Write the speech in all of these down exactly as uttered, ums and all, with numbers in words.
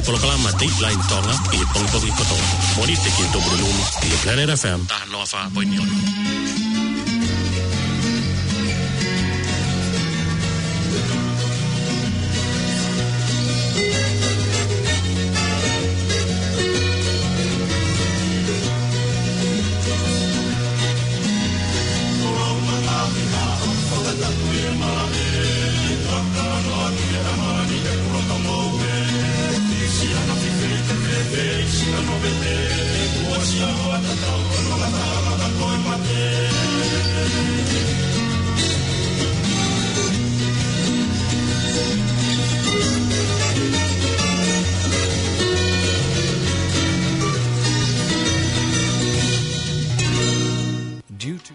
Polokalama Dateline Tonga ʻi he pongipongi kotoa. Mōnite ki he Tupuna Nima ʻi he Planet F M taha noa fā poini ono. Due to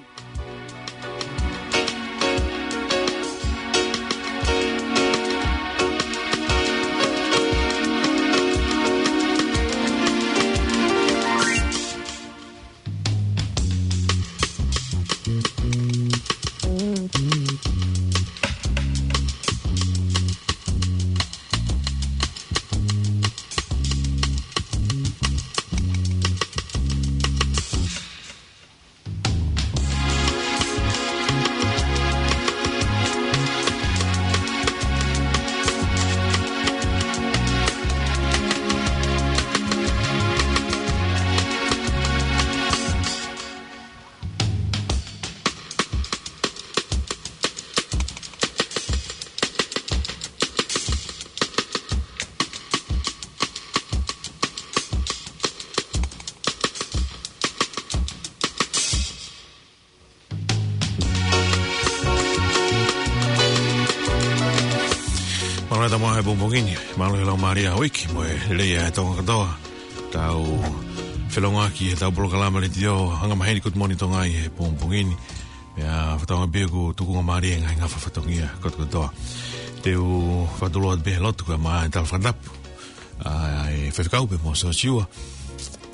Mālō e tau maʻu he pongipongi ni, mālō e lau mālie ʻa e uike, mo e lelei ʻa Tonga kātoa. Tau felongoaki he tau polokalama letiō, anga maheni Good Morning Tonga ʻi he pongipongi ni. Pea fakatauange pē ʻoku tukunga mālie e ngaahi ngafa fatongia kotokotoa. Te u fakatulou atu pē he lotu kae ʻumaʻā e tala fakatapu ʻa e faifekau pea mo Siosiua.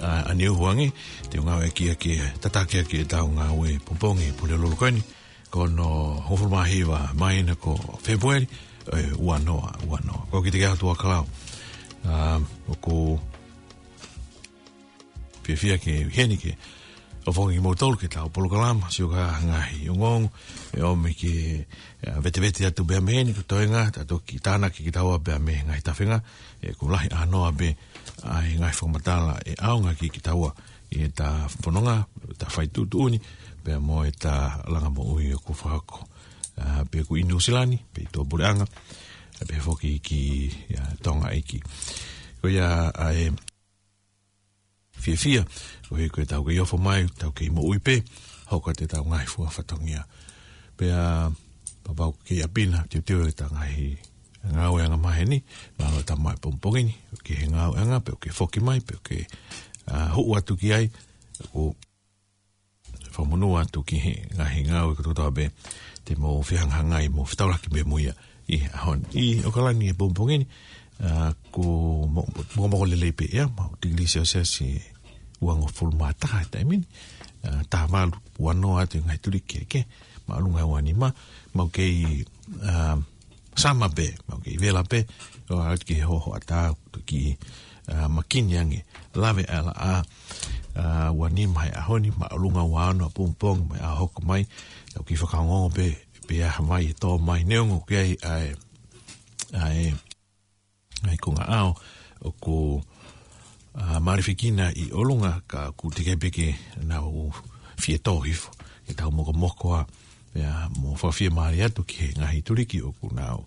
ʻA, ʻaneuhu ange, te u ngāueʻaki ia ke tataki ʻaki e tau ngāue pongipongi Pulelulu ko eni, ko hono hongofulu mā hiva māhina ko Fēpueli, ʻe, ua noa, ua noa. Ko kita ke atu a kalau. ʻA, ʻoku fiefia ke ʻi heni ke ʻofongi kimoutolu ki he tau polokalama, sio ki he ngaahi ongoongo, ʻe ʻomi ke, ʻa, vetevete atu pē mei heni, ko e toenga, ta toki tānaki kitaua pē mei he ngaahi tafenga, ʻe, ʻoku lahi ʻānoa pē ʻa e ngaahi fakamatala ʻe ʻaonga ki kitaua ʻi he ta fononga, ta fai tuʻutuʻuni, pea mo e ta langa moʻui ʻoku fakahoko. ʻA, pe ʻoku ʻi Nuʻusila ni, pe ʻi tuʻapuleʻanga, ʻa, pe foki ki, ʻa, Tonga ʻeiki. Ko ia ʻa e fiefia, ko e, ko e tau kei ofo mai, tau kei moʻui pē, hoko atu e tau ngaahi fua fatongia. Pea, papa ʻoku kei ʻapi na, teuteu e tau ngaahi ngāueʻanga maheni, mālō e tau maʻu he pongipongi ni, ʻoku ke he ngāueʻanga, pe ʻoku ke foki mai, pe ʻoku ke, ʻa, huʻu atu ki ai, ʻoku fakamonū atu ki he ngaahi ngāue kotoa pē te mou fehangahangai mo fetaulaki pē mo ia ʻi he ʻaho ni. ʻI ʻAokalani he pongipongi ni, ʻa, ko mo-, mokomoko lelei pē ia, maʻu tikilī selesiasi ʻe uangofulu mā taha he taimi ni, ʻa, taha valu, ua noa atu e ngaahi tuliki kehekehe, māʻolunga ua nima, maʻu kei, ʻa, summer pē, maʻu kei vela pē, ʻo aʻu ki he hohoʻatā, toki, ʻa, makini ange, lave ʻa e laʻā, ʻa, ua nima he ʻaho ni, māʻolunga ua ono he pongipongi, mo e ʻaho hoko mai, tau kiʻi fakaongoongo pē, pe ʻi ai ha vai ʻe tō mai, neongo ʻoku ʻi ai ʻa e, ʻa e, ʻa e konga ʻao, ʻoku, ʻa, malifikina ʻi ʻolunga ka ʻoku teʻeki pē ke nau fie tō hifo, ke tau mokomoko ā, pea mo fakafiemālie atu ki he ngaahi tuliki ʻoku nau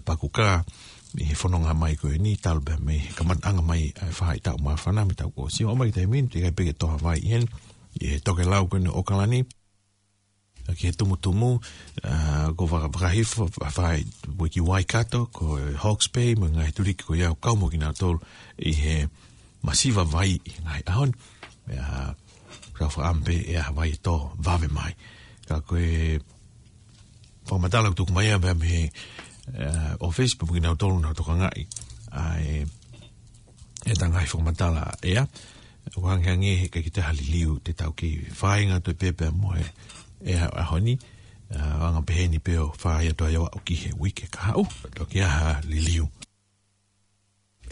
pakukā ʻi he fononga mai ko eni talu pē mei he kamataʻanga mai ʻa e faʻahitaʻu māfana mei he taʻu kuo ʻosi. ʻO mai ki he taimi ni, teʻeki pē ke tō ha vai ʻi heni, ʻi he tokelau ko eni ʻo ʻAokalani, ʻa, ki he tumutumu, ʻa, ko Vaka-, Vakahifo, fa-, fai, ue ki Waikato, ko e Hawke's Bay, mo e ngaahi tuliki ko ia ʻoku kau mo kinautolu ʻi he masiva vai ʻi he ngaahi ʻaho ni. ʻIa, kau fakaʻamu pē ʻe ʻi ai ha vai ʻe tō vave mai. Ka ko e fakamatala ʻoku tuku mai ia pea mei he, ʻa, ʻōfisi pea mo kinautolu ʻoku nau tokangaʻi ʻa e, e tau ngaahi fakamatala ʻea. ʻOku hangehangē he ʻikai ke toe ʻi ai ha liliu te tau kei fāinga atu pē pea mo e, e ʻaho ni, ʻa, anga pehē ni pē ʻo fai atu ai ʻo aʻu ki he uike kahaʻu, toki ʻi ai ha liliu.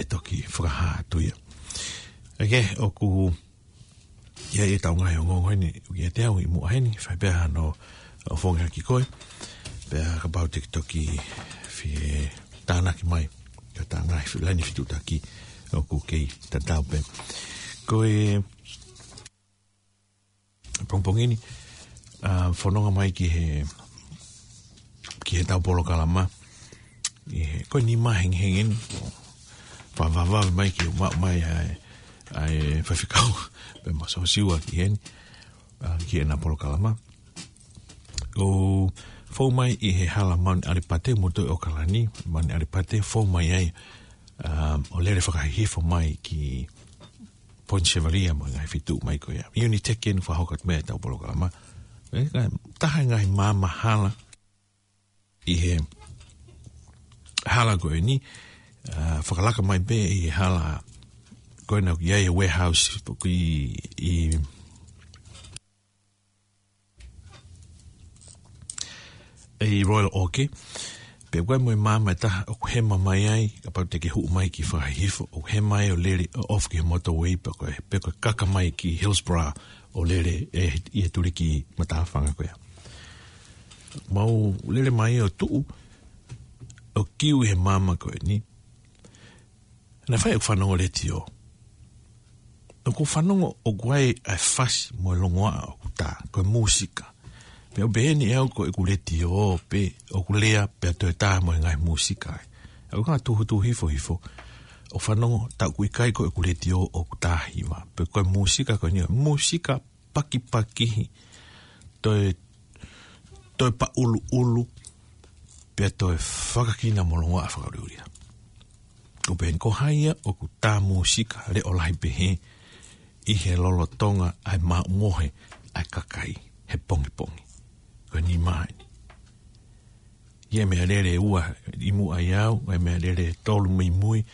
ʻe toki fakahā atu ia. ʻOku ʻi ai ʻetau ngaahi ongoongo ʻeni, ʻoku ʻiate au ʻi muʻa heni, fai pē hano ʻofongi ki koe, pea kapau te ke toki fie tānaki mai, ka ta ngaahi fi-, laini fetuʻutaki ʻoku kei tatau pē. Ko e pongipongi ni, ʻa, fononga mai ki he, ki heʻetau polokalama. ʻI he, ko e nima hengihengi ʻeni, fakavavevave mai ke u maʻu mai ʻa e, ʻa e faifekau, pea mo Siosiua ki heni, ʻa, ki heʻena polokalama. ʻO fou mai ʻi he hala Mount ʻAlipate, mo toe ʻAokalani, Mount ʻAlipate, fou mai ai, ʻa, ʻo lele fakahihifo mai ki Point Chevalier mo e ngaahi feituʻu mai ko ia. Unitec ʻeni fakahoko atu mei ai ʻetau polokalama. ʻE, ka, taha e ngaahi maama hala ʻi he hala ko ʻeni, ʻa, fakalaka mai pē ʻi he hala ko ena ʻoku ʻi ai e warehouse ʻoku ʻi, ʻi ʻi Royal Oak, pea ʻoku ʻi ai mo e maama ʻe taha ʻoku hema mai ai, kapau te ke hū mai ki Fakahihifo, ʻoku hema ai ʻo lele ʻo off ki he motorway, pe ko e, pe ko e kaka mai ki Hillsborough ʻo lele ʻi he tuliki matāfanga ko ia. Mau lele mai ʻo tuʻu, ʻo kiu ʻi he maama ko ʻeni, naʻe fai ʻeku fanongo letiō. ʻOku fanongo ʻoku ʻi ai ʻa e fasi mo e longoaʻa ʻoku tā, ko e mūsika. Pea ʻoku pehē ni ʻe au ko ʻeku letiō pē ʻoku lea pea toe tā mo e ngaahi mūsika ai. ʻOku ou tuhu tuhu hifo hifo ʻo fanongo, tā ʻoku ʻikai ko ʻeku letiō ʻoku tā hiva. Pe ko e mūsika ko eni, mūsika pakipakihi, toe, toe paʻuluʻulu, pea toe fakakina mo longoaʻa fakaʻuliʻulia. ʻOku pehē ni ko hai ia ʻoku tā mūsika leʻo lahi pehē ʻi he lolotonga ʻa e maʻu mohe ʻa e kakai he pongipongi. Ko e nima ʻeni. ʻI ai e meʻalele ʻe ua ʻi muʻa ʻiate au, ʻi ai e meʻalele ʻe tolu mei mui,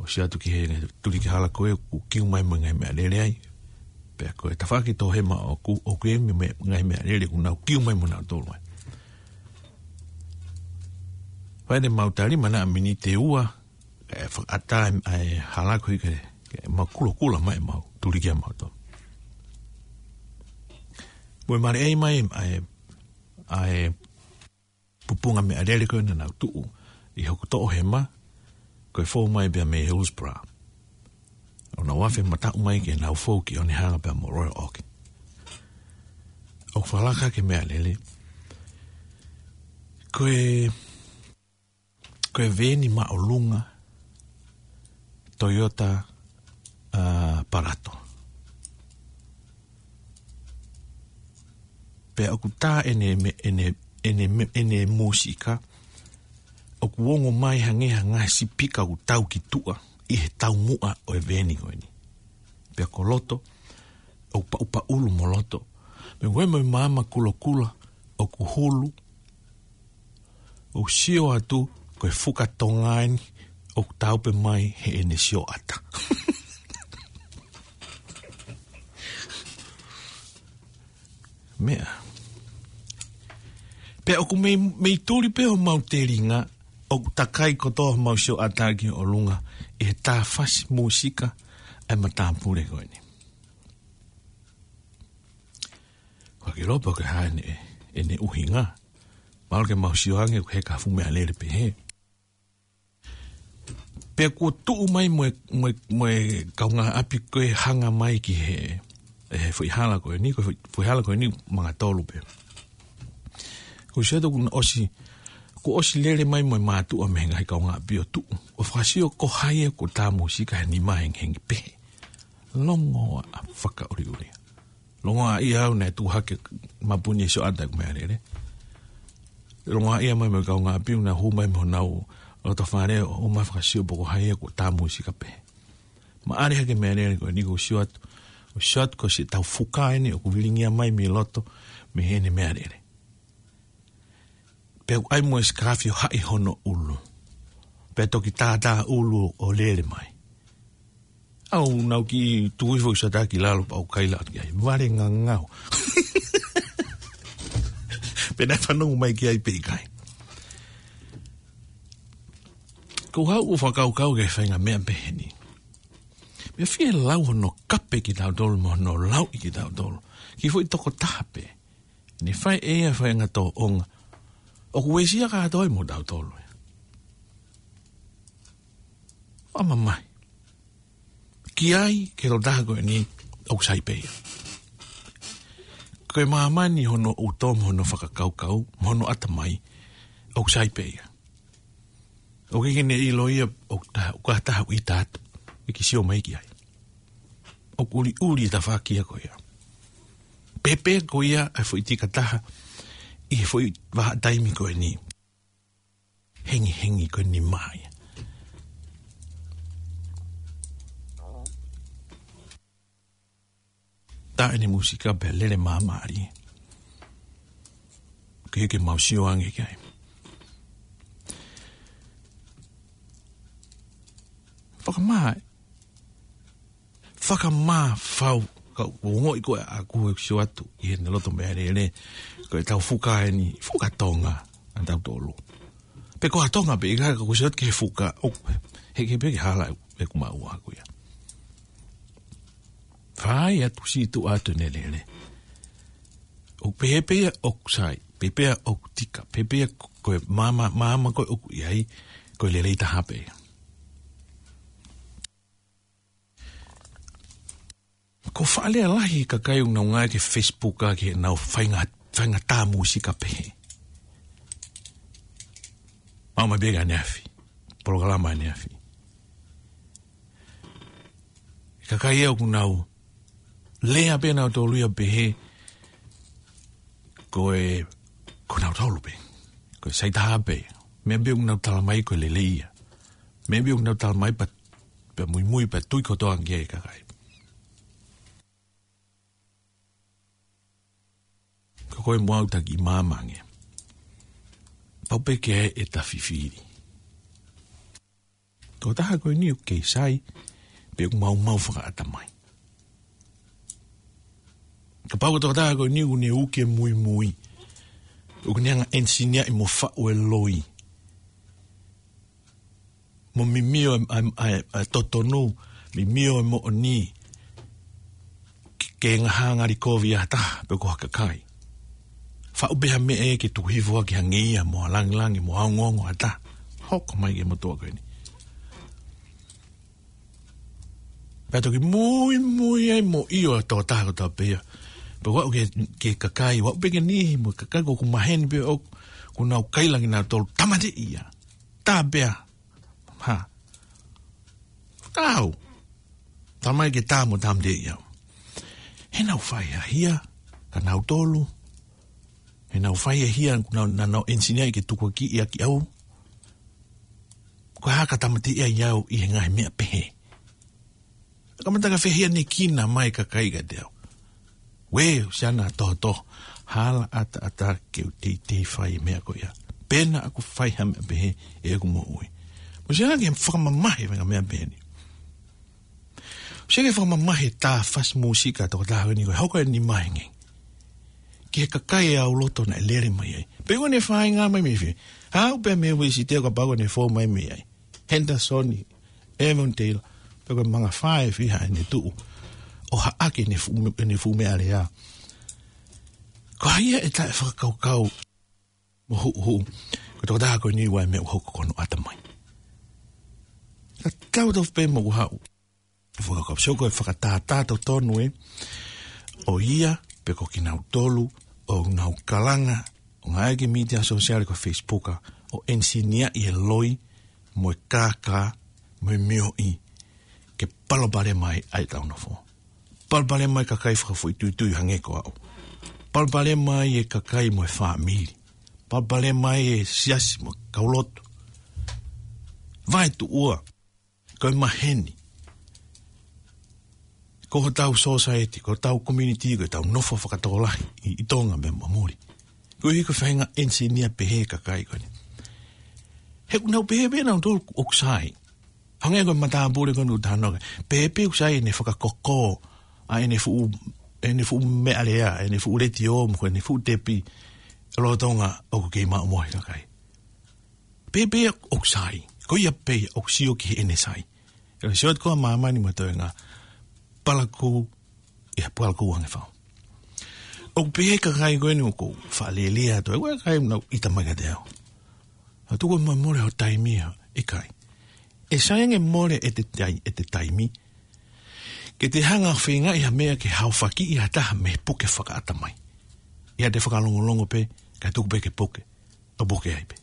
ʻo sio atu ki he tuliki hala ko ē, ʻoku kiu mai mo e ngaahi meʻalele ai. Pea ko e tafaʻaki toʻohema ʻoku, ʻoku ʻi ai mo e ngaahi meʻalele ʻoku nau kiu mai mo nautolu ai. Fai ʻemau tali mai ha miniti ʻe ua, ʻe fakaʻatā ʻa e hala ko ē ke, ke mau kulokula mai ʻemau tuliki ʻamautolu. Mo e maleʻei mai ʻa e, ʻa e pupunga meʻalele ko ē naʻa nau tuʻu ʻi hoku toʻohema, ko e fou mai pea mei Hillsborough. ʻO nau afe mataʻu mai ke nau fou ki Onehunga pea mo Royal Oak. ʻOku fakalaka hake e meʻalele. Ko e, ko e veeni māʻolunga, Toyota, ʻa, Parato. Pea ʻoku tā ʻene me-, ʻene, ʻene me-, ʻene mūsika, ʻoku ongo mai hangē ha ngaahi sipika ʻoku tau ki tuʻa ʻi he taumuʻa ʻo e veeni ko eni. Pea ko loto, ʻoku paʻupaʻulu mo loto. Pea ko e mo e maama kulokula, ʻoku hulu, ʻoku sio atu, ko e fuka Tonga ʻeni, ʻoku taupe mai heʻene sioʻata. Meʻa. Pea ʻoku mei, mei tuli pē homau telinga, ʻoku takai kotoa homau sioʻata ki ʻolunga, ʻi he tā fasi mūsika ʻa e matāpule ko eni. Ko e kiʻi lopa ke hā ʻene, ʻene ʻuhinga. Mahalo ke mau sio ange, ʻoku heka ha fuʻu meʻalele pehē. Pea kuo tuʻu mai mo e, mo e, mo e kaungāʻapi ko ē hanga mai ki he, ʻi he foʻi hala ko eni, ko e foʻi, foʻi hala ko eni manga tolu pē. Ko e sio atu kuo ʻosi, kuo ʻosi lele mai mo e mātuʻa mei he ngaahi kaungāʻapi ʻo tuʻu. ʻO fakasio ko hai ia ʻoku tā mūsika he nima hengihengi pehē. Longoaʻa fakaʻuliʻulia. Longoaʻa ia au naʻe tuʻu hake mapuni e sioʻata ʻeku meʻalele. Longoaʻa ia mai mo e kaungāʻapi naʻa nau hū mai mo honau loto fale ʻo ō mai fakasio pe ko hai ia ʻoku tā mūsika pehē. Maʻali hake e meʻalele ko eni ʻoku sio atu. ʻOku sio atu ko siʻetau fuka ʻeni ʻoku vilingia mai mei loto mei heʻene meʻalele. Pea ʻoku ʻi ai mo e sikaafi ʻo haʻi hono ʻulu. Pea toki tātā ʻulu ʻo lele mai. ʻAu nau kiʻi tuku hifo ʻeku sioʻata ki lalo pea u kaila atu ki ai. Vale ngangau. Pe naʻe fanongo mai ki ai pe ʻikai. Ko au ʻoku ou fakakaukau ki he faʻahinga meʻa pehē ni. Meʻa fie lau hono kape kitautolu mo hono lauʻi kitautolu. Ki he foʻi tokotaha pē. Ne fai ʻe ia faʻahinga tōʻonga. ʻOku uesia kātoa ai mo tautolu. ʻA mamahi. Ki ai, ki he tokotaha ko eni, ʻoku sai pē ia. Ko e māmani hono ʻuto mo hono fakakaukau, mo hono ʻatamai, ʻoku sai pē ia. ʻOku ʻikai ke ne ʻilo ia, ʻoku taha, ʻoku ʻi ai ha taha ʻoku ʻita atu, ʻikai ke sio mai ki ai. ʻOku ʻuliʻuli e tafaʻaki ia ko ia. Pehē pē ko ia ʻa e foʻi tika taha, ʻi he foʻi vahaʻa taimi ko eni. Hengihengi ko eni mai. Tā eni e mūsika pea lele māmālie. Ke, ke mau sio ange ki ai. Fakamā, fakamā fau, ka u ongoʻi ko ē ʻa ʻeku sio atu ʻi heʻene loto meʻalele, ko ʻetau fuka eni, fuka Tonga, ʻa tautolu. Pe ko ha Tonga pē, ʻikai ka ʻoku sio atu ki he fuka, ʻo, he ke pē ke hala ʻeku maʻu ʻaʻaku ia. Fai atu siʻi tuʻu atu ʻene lele. ʻOku pehē pē ia ʻoku sai, pehē pē ia ʻoku tika, pehē pē ia ko e maama, maama ko ē ʻoku ʻi ai, ko e lelei taha pē ia. Ko e faʻa lea lahi e kakai ʻoku nau ngāueʻaki e Facebook ʻa ki heʻenau faʻahinga, faʻahinga tā mūsika pehē. Maʻu mai pē ʻaneafi, polokalama ʻaneafi. Kakai ia ʻoku nau lea pē nautolu ia pehē ko e, ko nautolu pē. Ko e sai taha pē. Meʻa pē ʻoku nau tala mai ko e lelei ia. Meʻa pē ʻoku nau tala mai pea, pea muimui pea tui kotoa ange ki ai e kakai. Ko koe mo au taki māmani. Pau pē ke ʻai ʻeta fifili. Tokotaha ko eni ʻoku kei sai, pe ʻoku maumau fakaʻatamai. Kapau ko e tokotaha ko eni ʻoku ne uki e muimui. ʻOku ne hanga ʻo ʻenisiniaʻi mo faʻu e loi. Mo mimio e, e, e, e totonu, mimio e moʻoni, ke, ke ngaahi ngali kovi ʻa ha taha, pe ko ha kakai. Faʻu pē ha meʻa ia ke tuku hifo ʻaki hangē ia, mo ha langilangi, mo ha ongoongo ʻa ha taha. Hoko mai ki he motuʻa ko eni. Pea toki muimui ai mo ʻio ʻa e tokotaha kotoa pē ia. Pea ʻoku aʻu ki he, ki he kakai, ʻoku aʻu pē ki he niʻihi mo e kakai ʻoku maheni pē ʻoku, ʻoku nau kaila kinautolu tāmateʻi ia. Tā pē ia. Ha. Kau. Tamai ke tā mo tāmateʻi au. He naʻa ku fai ha hia, ka nautolu. He naʻa ku fai ha hia, naʻa nau, naʻa nau ʻenisiniaʻi ke tukuakiʻi ʻaki au. Ko e hā ka tāmateʻi ai au ʻi he ngaahi meʻa pehē. Kamata ka fehia ne kina mai kakai kiate au. Uē, ʻosi ʻana tohotoho. Hala ʻataʻatā ke u teitei fai e meʻa ko ia. Pea naʻa ku fai ha meʻa pehē ʻi heʻeku moʻui. Mou sio ange ki he fakamamahi e faʻahinga meʻa pehē ni. Mou sio ki he fakamamahi e tā fasi mūsika ʻa e tokotaha ko eni ko e hoko ʻene maheni. Ki he kakai ʻe au loto naʻe lele mai ai. Pe ko ʻene fāinga mai mei fē. Haʻu pē mei Uēsite kapau ko ʻene fou mai mei ai. Henderson, Avondale, pe ko e mangafā ʻe fiha ʻene tuʻu. ʻO haʻaki ʻene fuʻu, ʻene fuʻu meʻalea. Ko hai ia ʻe taʻefakakaukau mo huʻuhuʻu. Ko e tokotaha ko eni ʻoku ʻi ai e meʻa ʻoku hoko ki hono ʻatamai. Ka tau tofu pē mo ʻeku haʻu. Fakakaukau, sio ko e fakatātā totonu ē. ʻO ia, pe ko kinautolu, ʻoku nau kalanga, ʻo ngāueʻaki e mītia sōsiale ko e Facebook, ʻo ʻenisiniaʻi e loi, mo e kākā, mo e mioʻi, ke palopalema ai ʻetau nofo. Palopalema ai e kakai fakafoʻituitui hangē ko au. Palopalema ai e kakai mo e fāmili. Palopalema ai e siasi mo e kaulotu. Vaetuʻua. Ko e maheni. Ko hotau society, ko hotau community, ko ʻetau nofo fakatokolahi ʻi, ʻi Tonga mo muli. Koeʻuhi ko e faʻahinga ʻenisinia pehē e kakai ko eni. He ʻoku nau pehē pē nautolu ʻoku sai. Hangē ko e matāpule ko eni ʻoku tau talanoa ki ai. Pehē pē ʻoku sai ʻene fakakoko, ʻa ʻene fuʻu, ʻene fuʻu meʻalea, ʻene fuʻu letiō, mo ʻene fuʻu tepi, lolotonga ʻoku kei maʻu mo e kakai. Pehē pē ʻoku sai. Ko ia pē ia ʻoku sio ki heʻene sai. ʻE sio atu ko ā māmani mo e toenga, palakū, ʻi ha palakū ange fau. ʻOku pehē kakai ko eni ʻoku ou faʻa lēlea atu, ʻa e kakai ʻoku nau ʻita mai kiate au. ʻA tuku mo mole ho taimi ia, ʻikai. ʻE sai ange mole ʻete tai-, ʻete taimi, ke te hanga ʻo feingaʻi ha meʻa ke haofakiʻi ha taha mei he puke fakaʻatamai. ʻIa te fakalongolongo pē, kae tuku pē ke puke, ʻo puke ai pē.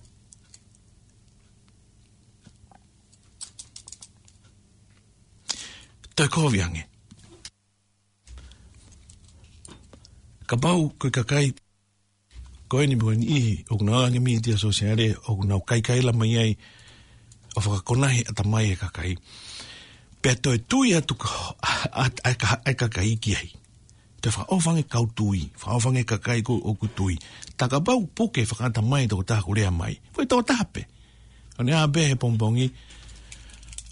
Toe kovi ange. Kapau ko e kakai ko eni mo e niʻihi ʻoku nau ʻange mītia sōsiale, ʻoku nau kaikaila mai ai ʻo fakakonahi ʻatamai e kakai. Pea toe tui atu ka, a, a, a, ka, a kakai ki ai. Toe fakaʻofa ange kau tui, fakaʻofa ange kakai ko ē ʻoku tui. Tā kapau puke fakaʻatamai tokotaha ʻoku lea mai, foʻi tokotaha pē. ʻO ne ʻā pē he pongipongi,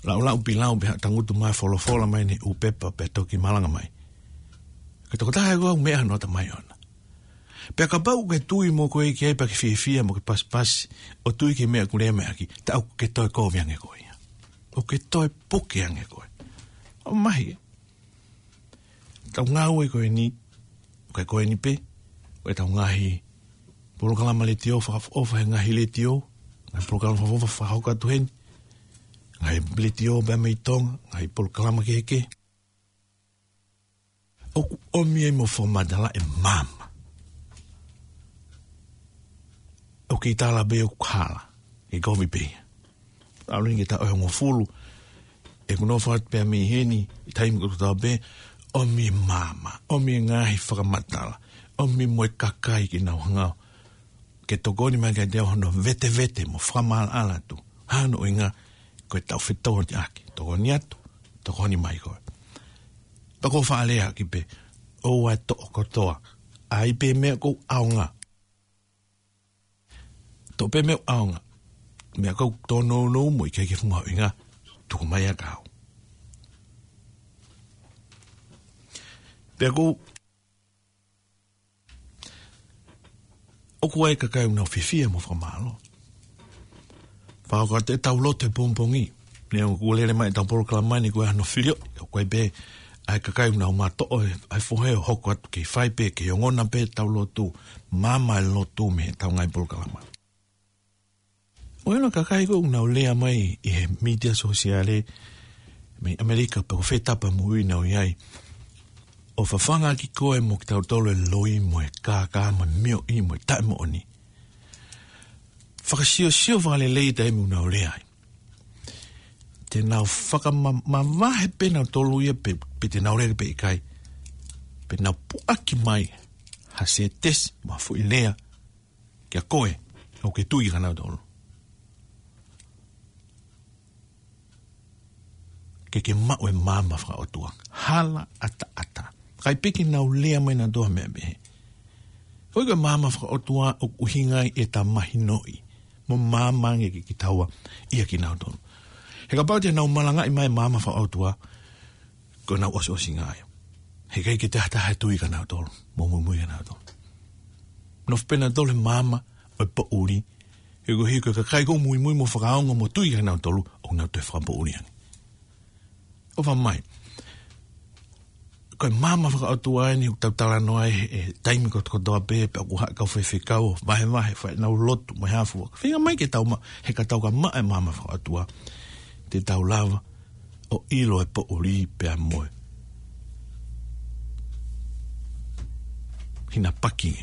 laʻulaʻu pilau pē, tangutu mai folofola mai ʻene ʻū pepa pea toki malanga mai. Ko e tokotaha ē ʻoku meʻa hono ʻatamai ʻoʻona. Pea kapau ke tui mo koe ki ai pea ke fiefia mo ke pasipasi, ʻo tui ki he meʻa ʻoku lea mai ʻaki, tā ʻoku ke toe kovi ange koe ia. ʻOku ke toe puke ange koe. ʻO mahi ē. Tau ngāue ko eni, ʻikai ko eni pē, ʻo ʻetau ngaahi polokalama letiō, fakaʻofoʻofa he ngaahi letiō, ngaahi polokalama fakaʻofoʻofa fakahoko atu heni, ngaahi letiō pē mei Tonga, ngaahi polokalama kehekehe. ʻOku ʻomi ai mo fakamatala e maama. ʻOku ke tala pē ʻoku hala, ʻe kovi pē ia. ʻAlu heni ki he taʻu ʻe hongofulu, ʻeku nofo atu pē mei heni, ʻi he taimi kotoa pē, ʻomi maama, ʻomi ngaahi fakamatala, ʻomi mo e kakai ke nau hanga ʻo ke tokoni mai kiate au hono vetevete mo fakamaʻalaʻala atu. Hano ʻuhinga, ko e taʻu fetōtiʻaki, tokoni atu, tokoni mai koe. Pea ko e faʻa lea ʻaki pē, ʻoua ʻe toʻo kotoa, ʻai pē meʻa ʻoku ʻaonga. Toʻo pē meʻa ʻaonga. Meʻa ʻoku tōnounou mo ʻikai ke fuʻu mahuʻinga, tuku mai ia kia au. Pea ʻoku, ʻoku ʻi ai e kakai ʻoku nau fiefia mo fakamālō. Fakakaukau atu ʻetau lotu he pongipongi. Neongo kuo lele mai ʻetau polokalama ni ko e hano filio, ʻoku ʻi ai pē ʻa e kakai ʻoku nau matoʻo e, ʻa e fohe ʻo hoko atu kei fai pē, kei ongona pē ʻetau lotu, maama e lotu mei heʻetau ngaahi polokalama. ʻOku ʻi ai e kakai ko ē ʻoku nau lea mai ʻi he mītia sōsiale, mei ʻAmelika pe ko fē tapa moʻui ʻoku nau ʻi ai, ʻo fafanga ʻaki koe mo kitautolu e loi mo e kākā mo e mioʻi mo e taʻemoʻoni. Fakasiosio fakalelei taimi ʻoku nau lea ai. Te nau fakama-, mavahe pē nautolu ia pe, pe te nau lea pe ʻikai. Pe nau puʻaki mai ha sētesi mo ha foʻi lea kia koe ʻoku ke tui kia nautolu. Ke ke maʻu e maama fakaʻotua. Hala ʻataʻatā. ʻIkai pē ke nau lea mai nautolu ha meʻa pehē. Ko e maama fakaʻotua ʻoku ʻuhinga ai ʻeta mahinoʻi mo maama ange ke kitaua ia kia nautolu. He kapau te nau malangaʻi mai e maama fakaʻotua, ko ʻenau ʻosiʻosinga ia. He ʻikai ke toe ʻi ai ha taha ʻe tui kia nautolu, mo muimui kia nautolu. Nofo pē nautolu he maama ʻo e poʻuli, he ko e hiko e kakai ʻoku muimui mo fakaongo mo tui kia nautolu, ʻoku nau toe fakapoʻuli ange. ʻOfa mai. Ko e maama fakaʻotua eni ʻoku tau talanoa ai he, he taimi kotokotoa pē, pea ʻoku haʻu e kau faifekau ʻo vahevahe, fai ʻenau lotu mo e hā fua. Feinga mai ke tau maʻu, he ka tau ka maʻu e maama fakaʻotua, te tau lava ʻo ʻilo e poʻuli pea mo e hinapaki,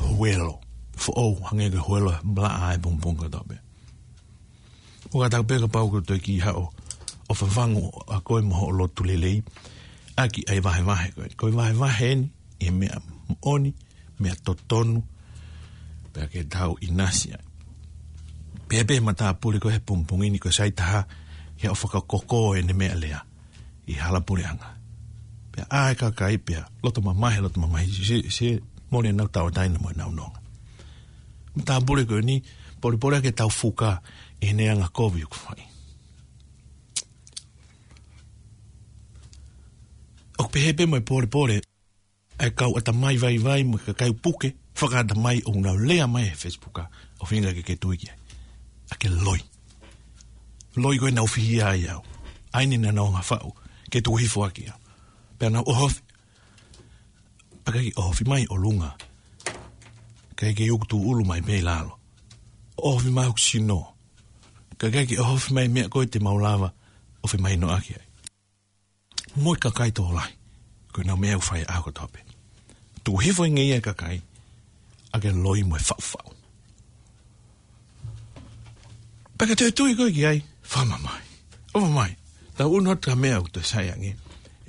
huelo foʻou, hangē ko e huelo e malaʻe he pongipongi kotoa pē. ʻOku ʻatā pē kapau ʻoku toe kiʻi haʻu ʻo fafangu ʻa koe mo hoʻo lotu lelei ʻaki ʻa e vahevahe ko ē. Ko e vahevahe eni ʻi he meʻa moʻoni, meʻa totonu, pea ke tau ʻinasi ai. Pea pehē matāpule ko ē he pongipongi ni, ko e sai taha ke haʻu ʻo fakakoko ʻene meʻalea ʻi hala puleʻanga. Pea ʻai kakai pea loto mamahi, loto mamahi, se, se mole ʻenau tauʻatāina mo ʻenau nonga. Matāpule ko eni, polepole ke tau fuka ʻi heʻene angakovi ʻoku fai. ʻOku pehē pē mo e polepole ʻa e kau ʻatamai vaivai mo e kakai puke fakaʻatamai ʻoku nau lea mai he Facebook, ʻo feinga ke ke tui ki ai. ʻA ke loi. Loi ko ē naʻa nau fihia ai au. ʻAi ni naʻa nau hanga ʻo faʻu ke tuku hifo ʻaki au. Pea nau ʻohofi. Pea ʻikai ke ʻohofi mai ʻolunga. ʻIkai ke ʻuku tūʻulu mai mei lalo. ʻOhofi mai hoku sino. Ka ʻikai ke ʻohofi mai meʻa ko ē te mau lava ʻo femahinoʻaki ai. Mo e kakai tokolahi. Ko ʻenau meʻa ʻoku fai ʻaho kotoa pē. Tuku hifo ʻi he ngeia e kakai ʻaki e loi mo e faʻufaʻu. Pea ka toe tui koe ki ai, fakamamahi. ʻOfa mai. Tau ʻunu atu ki he meʻa ʻoku toe sai ange.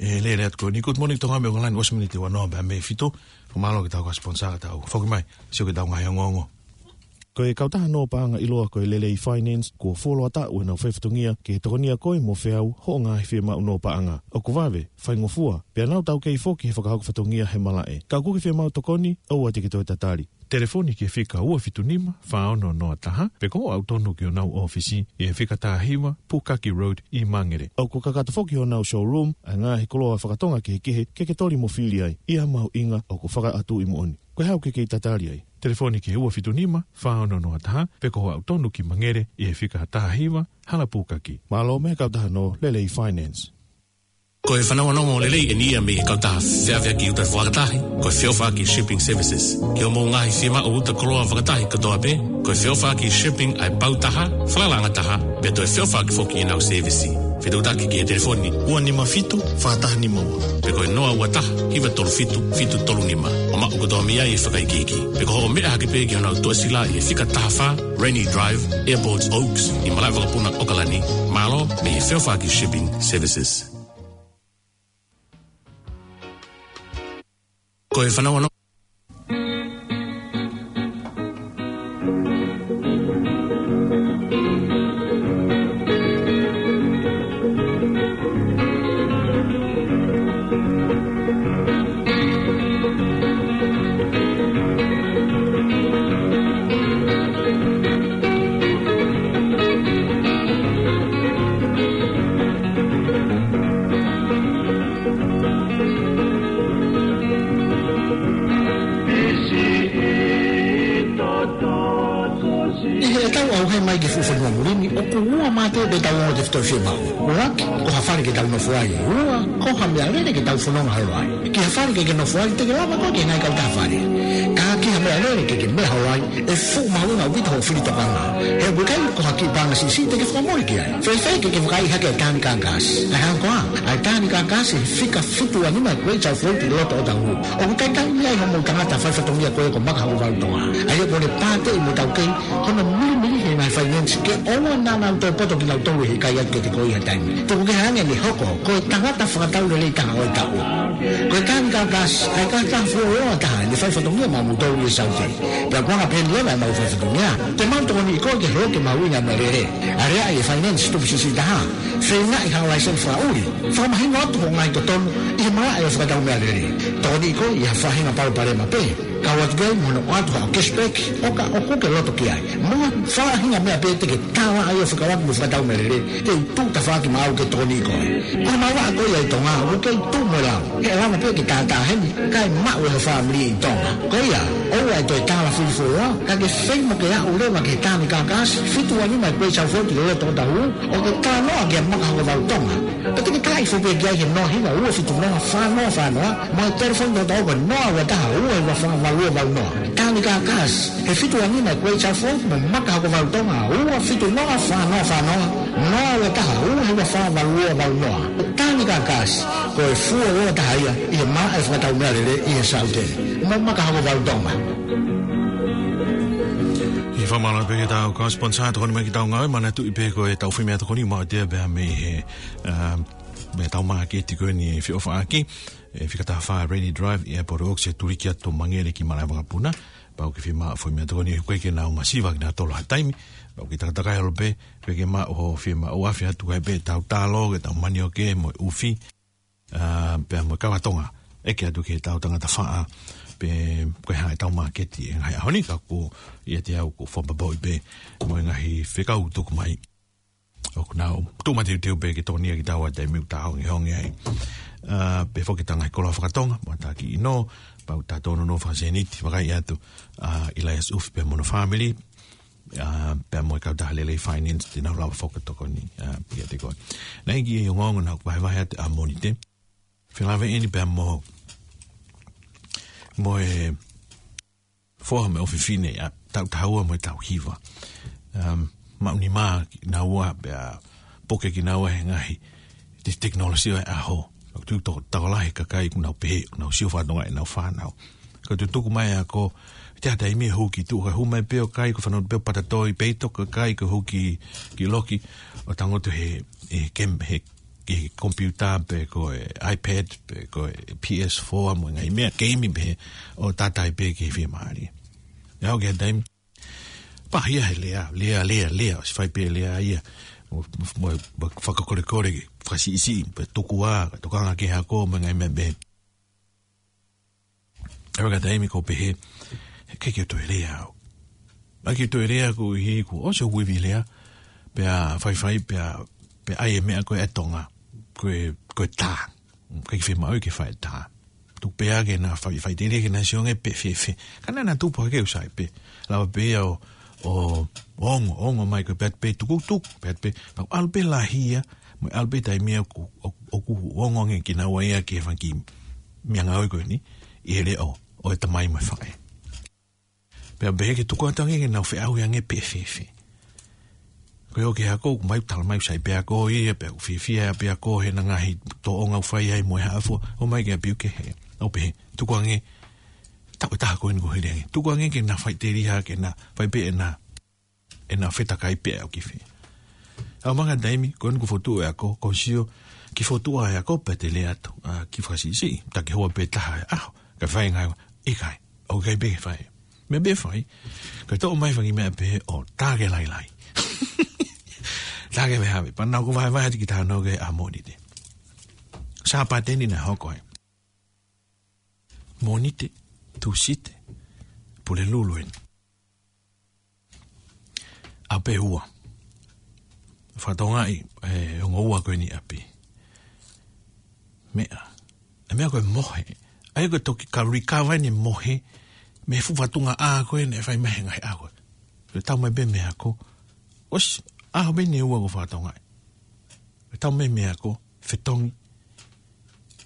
ʻE lele atu ko eni. Good morning, Tonga, mei ʻOkalani, ʻosi miniti ua noa pea mei he fitu. Fakamālō ki heʻetau kau sponsor, tau foki mai, sio ki heʻetau ngaahi ongoongo. Ko e kautaha nō paʻanga ʻiloa ko e Lelei Finance, kuo fuoloa taʻu ʻenau faifatongia ke tokonia koe mo feau hoʻo ngaahi fiemaʻu nō paʻanga. ʻOku vave, faingofua, pea nau taukei foki he fakahoko fatongia he malaʻe. Ka ʻoku ke fiemaʻu tokoni, ʻoua te ke toe tatali. Telefoni ki he fika ua fitu nima, fā ono noa taha, pe ko hoʻo aʻu tonu ki honau ʻōfisi ʻi he fika taha hiva, Pukaki Road ʻi Mangere. ʻOku kakato foki honau showroom ʻa e ngaahi koloa fakatonga kehekehe ke ke toli mo fili ai, ʻi ha mahuʻinga ʻoku fakaʻatuʻi moʻoni. Ko e hā ʻoku ke kei tatali ai? Telefoni ki he ua fitu nima, fā ono noa taha, pe ko hoʻo aʻu tonu ki Mangere ʻi he fika taha hiva, Hala Pukaki. Mālō mei he kautaha nō Lelei Finance. Ko e fanongonongo lelei eni ia mei he kautaha feʻaveʻaki uta fakatahi, ko e Feʻofaʻaki Shipping Services. Ki hoʻomou ngaahi fiemaʻu uta koloa fakatahi kotoa pē, ko e Feʻofaʻaki Shipping ʻa e pau taha, falalaʻanga taha, pea toe feʻofaʻaki foki ʻenau sēvisi. Fetuʻutaki ki he telefoni ua nima fitu, fā taha nima ua. Pe ko e noa ua taha, hiva tolu fitu, fitu tolu nima. ʻO maʻu kotoa mei ai e fakaikiiki. Pe ko hoʻo meʻa hake pē ki honau tuʻasila ʻi he fika taha fā, Rainy Drive, Airport Oaks, ʻi malaʻe vakapuna ʻOkalani. Mālō mei he Feʻofaʻaki Shipping Services. Ko e fanongonongo. ʻI heʻetau ʻauhē mai ki he fuʻu fonua muli ni, ʻoku ua mā te pē ʻetau ongo tefitoʻi fiemaʻu. ʻUluaki, ko ha fale ke tau nofo ai. Ua, ko ha meʻalele ke tau fononga holo ai. Ki ha fale ke ke nofo ai, te ke lava koe ki he ngaahi kautaha fale. Ka ki ha meʻalele ke ke meʻa holo ai, ʻe fuʻu mahuʻinga ʻaupito hoʻo fili tokanga. He ʻoku ʻikai ko ha kiʻi paʻanga siʻisiʻi te ke fakamole ki ai. Fēfē ke ke vakaiʻi hake ʻa e Tānika Gas? ʻA e hā koā? ʻA e Tānika Gas ʻi he fika fitu ua nima Great South Road ʻi loto Otahuhu. ʻOku talitali mei ai hoʻomou tangata faifatongia ko ē ko Maka Hokovalu Tonga. ʻA ia ʻoku ne pāteʻi mo taukei hono milimili he ngaahi finance ke ʻoua naʻa nau toe poto kinautolu he ʻikai atu ke te koi ha taimi. Tuku kehe ange ʻene hoko ko e tangata fakatau lelei taha ʻo e taʻu. Ko e Tānika Gas, ʻa e kautaha fuoloa taha ʻene faifatongia maʻamoutolu ʻi he Saute. Pea ko e anga pehē ni leva ʻemau faifatongia. Te mau tokoniʻi koe ke holoki e mahuʻinga e meʻalele. Aleaʻi e finance tupu siʻisiʻi taha. Feingaʻi ha laiseni fakaʻuli. Fakamahino atu hoʻo ngaahi totonu ʻi he malaʻe ʻo e fakatau meʻalele. Tokoniʻi koe ʻi ha faʻahinga palopalema pē. Kau atu ki ai mo hono ʻoatu haʻo cashback, ʻo ka ʻoku ke loto ki ai. Mo ha faʻahinga meʻa pē te ke tālaʻa ai ʻo fekauʻaki mo e fakatau meʻalele, te u tuʻu tafaʻaki maʻau ke tokoniʻi koe. Ko e maʻu vaʻa ko ia ʻi Tonga, ʻoku kei tuʻu mo e lau. He ʻe lava pē ke tātā heni, kae maʻu ʻe ho fāmili ʻi Tonga. Ko ia, ʻoua ʻe toe tāla fili fuoloa, ka ke feinga ke aʻu leva ki he Tānika Gas, fitu ua nima Great South Road ʻi loto Otahuhu, ʻo ke talanoa kia Maka Hokovalu Tonga. Pea te ke talaʻi foki pē ki ai he noa hiva ua fitu noa fā noa fā noa, mo e telefoni tokotaha ko e noa ua taha ua hiva fā valu ua valu noa. Tānika Gas, he fitu ua nima Great South Road mo Maka Hokovalu Tonga, ua fitu noa fā noa fā noa, noa ua taha ua hiva fā valu ua valu noa. Tānika Gas, ko e fuoloa taha ia ʻi he malaʻe fakatau meʻalele ʻi he Saute. Mo Maka Hokovalu Tonga. ʻI he fakamālō pē ki heʻetau kau sponsor, tokoni mai ki heʻetau ngāue, manatuʻi pē ko ʻetau fai meʻatokoni maʻu atu ia pea mei he, ā, mei heʻetau māketi ko eni ʻi Feʻofaʻaki, ʻi he fika taha fā Rainy Drive, ʻi Airport Oaks, ʻi he tuliki atu Mangere ki malaʻe vakapuna, pau ke fiemaʻu fai meʻatokoni, ʻoku ʻikai ke nau masiva kinautolu ha taimi, pau ke takatakai holo pē, pea ke maʻu hoʻo fiemaʻu, ʻoku ʻafe atu ki ai pē ʻetau talo, ke tau manioke, mo e ʻufi, ā, pea mo e kava Tonga, ʻeke atu ki heʻetau tangata faʻa, pe ko e hā ʻetau māketi he ngaahi ʻaho ni, ka ko ia te au ʻoku fakapapauʻi pē mo e ngaahi fekau tuku mai. ʻOku nau tuʻu mateuteu pē ke tokonia kitaua he taimi ʻoku ta hongeonge ai. Ā, pea foki ʻetau ngaahi koloa fakatonga, mo e taki ʻino, pea ʻoku ta tōnounou fakasēniti, vakai atu, ā, ʻIlaiasi ʻUfi pea mo hono fāmili, ʻA, pea mo e kautaha lelei finance te nau lava fakatokoni, ʻa, pea te koe. Naʻe ʻi ai e ongoongo naʻa ku vahevahe atu ʻa Mōnite. Felāveʻi eni pea mo, mo e foha mo e ʻofefine, ʻa, taʻu taha ua mo e taʻu hiva. Um, maʻu nima kinaua pea puke kinaua he ngaahi te-, tekinolosia ʻo e ʻaho. Tuʻu toko, tokolahi e kakai ʻoku nau pehē, ʻoku nau sio fakatokangaʻi ʻenau fānau. Ka tutuku mai ʻa e ako, te ʻi ai ha taimi ʻe hū ki tuʻa, ka hū mai pē ʻo kai, ko e fānau pē ʻo patatoi, pē ʻi toko kai, ko e hū ki, ki loki, ʻo tangutu he, he kem-, he, he computer pe ko e iPad, pe ko e P S four, mo e ngaahi meʻa keimi pē, ʻo tātai pē ki he fiemālie. ʻE aʻu ki ha taimi, pāhia he lea, lea, lea, lea, ʻosi fai pē lea ia, mo, mo, mo fakakolekole, fakasiʻisiʻi, pe tuku ā, tokanga ki he ako, mo e ngaahi meʻa pē. ʻE aʻu ki ha taimi ʻoku pehē, ʻikai ke u toe lea au. ʻIkai ke u toe lea koeʻuhi kuo ʻosi hoku ivi lea, pea faifai, pea, pea ʻai e meʻa ko e ʻa Tonga, ko e, ko e tā. ʻIkai ke fiemaʻu ke fai e tā. Tuku pē ke na fai, faʻiteliha ke na sio ange pe fēfē. Ka naʻa na tupu hake ʻo sai pē. Lava pē ia ʻo, ʻo, ʻo ongo, ongo mai ko e pē atu pē tukutuku, pē atu pē. Naʻa ku ʻalu pē lahi ia, mo e ʻalu pē taimi ia ʻoku, ʻo, ʻoku ongo ange kinaua ia ki he fanga kiʻi meʻangāue ko eni, ʻi he leʻo ʻo e tamai mo e faʻē. Pea pehē ke tuku atu ange ke nau feʻauhi ange pe fēfē. Ko e ō ki he ako, ʻoku mai tala mai ʻoku sai pē ako ia, pea ʻoku fiefia pē ako he ngaahi tōʻonga ʻoku fai ai mo e hā fua, ō mai ki ʻapi ʻoku kehe. ʻOku pehē, tuku ange, taʻu ʻe taha ko eni kuo hili ange. Tuku ange ke na faʻiteliha, ke na fai pē ʻena, ʻena fetakai pē ʻo ki fē. ʻAʻu mai ki ha taimi, ko eni kuo fokotuʻu e ako, ko e sio, kiʻi fokotuʻu e ako, pea te lea atu, ʻa, kiʻi fakasiʻisiʻi, taki hoa pē taha e ʻaho, kae fai e ngāue, ʻikai, ʻoku ʻikai pē ke fai. Meʻa pē fai, kae toʻo mai fanga kiʻi meʻa pē ʻo tā ke lailai. Tā ke vehave, pea naʻa ku vahevahe atu ki he talanoa ko ē ʻa Mōnite. Sāpate ni naʻe hoko ai. Mōnite, Tūsite, Pulelulu eni. ʻAho pē ua. Fakatokangaʻi, e, ongo ua ko eni ʻapi. Meʻa. E meʻa ko e mohe. ʻA ia ko e toki ka recover eni mohe, mei he fuʻu fatunga ʻā ko ē naʻe fai mai he ngaahi ʻaho ko ē. Ko e tau mai pē mei he ako. ʻOsi, ʻaho pē eni ʻe ua ko e fakatokangaʻi. Ko e tau mai mei he ako, fetongi.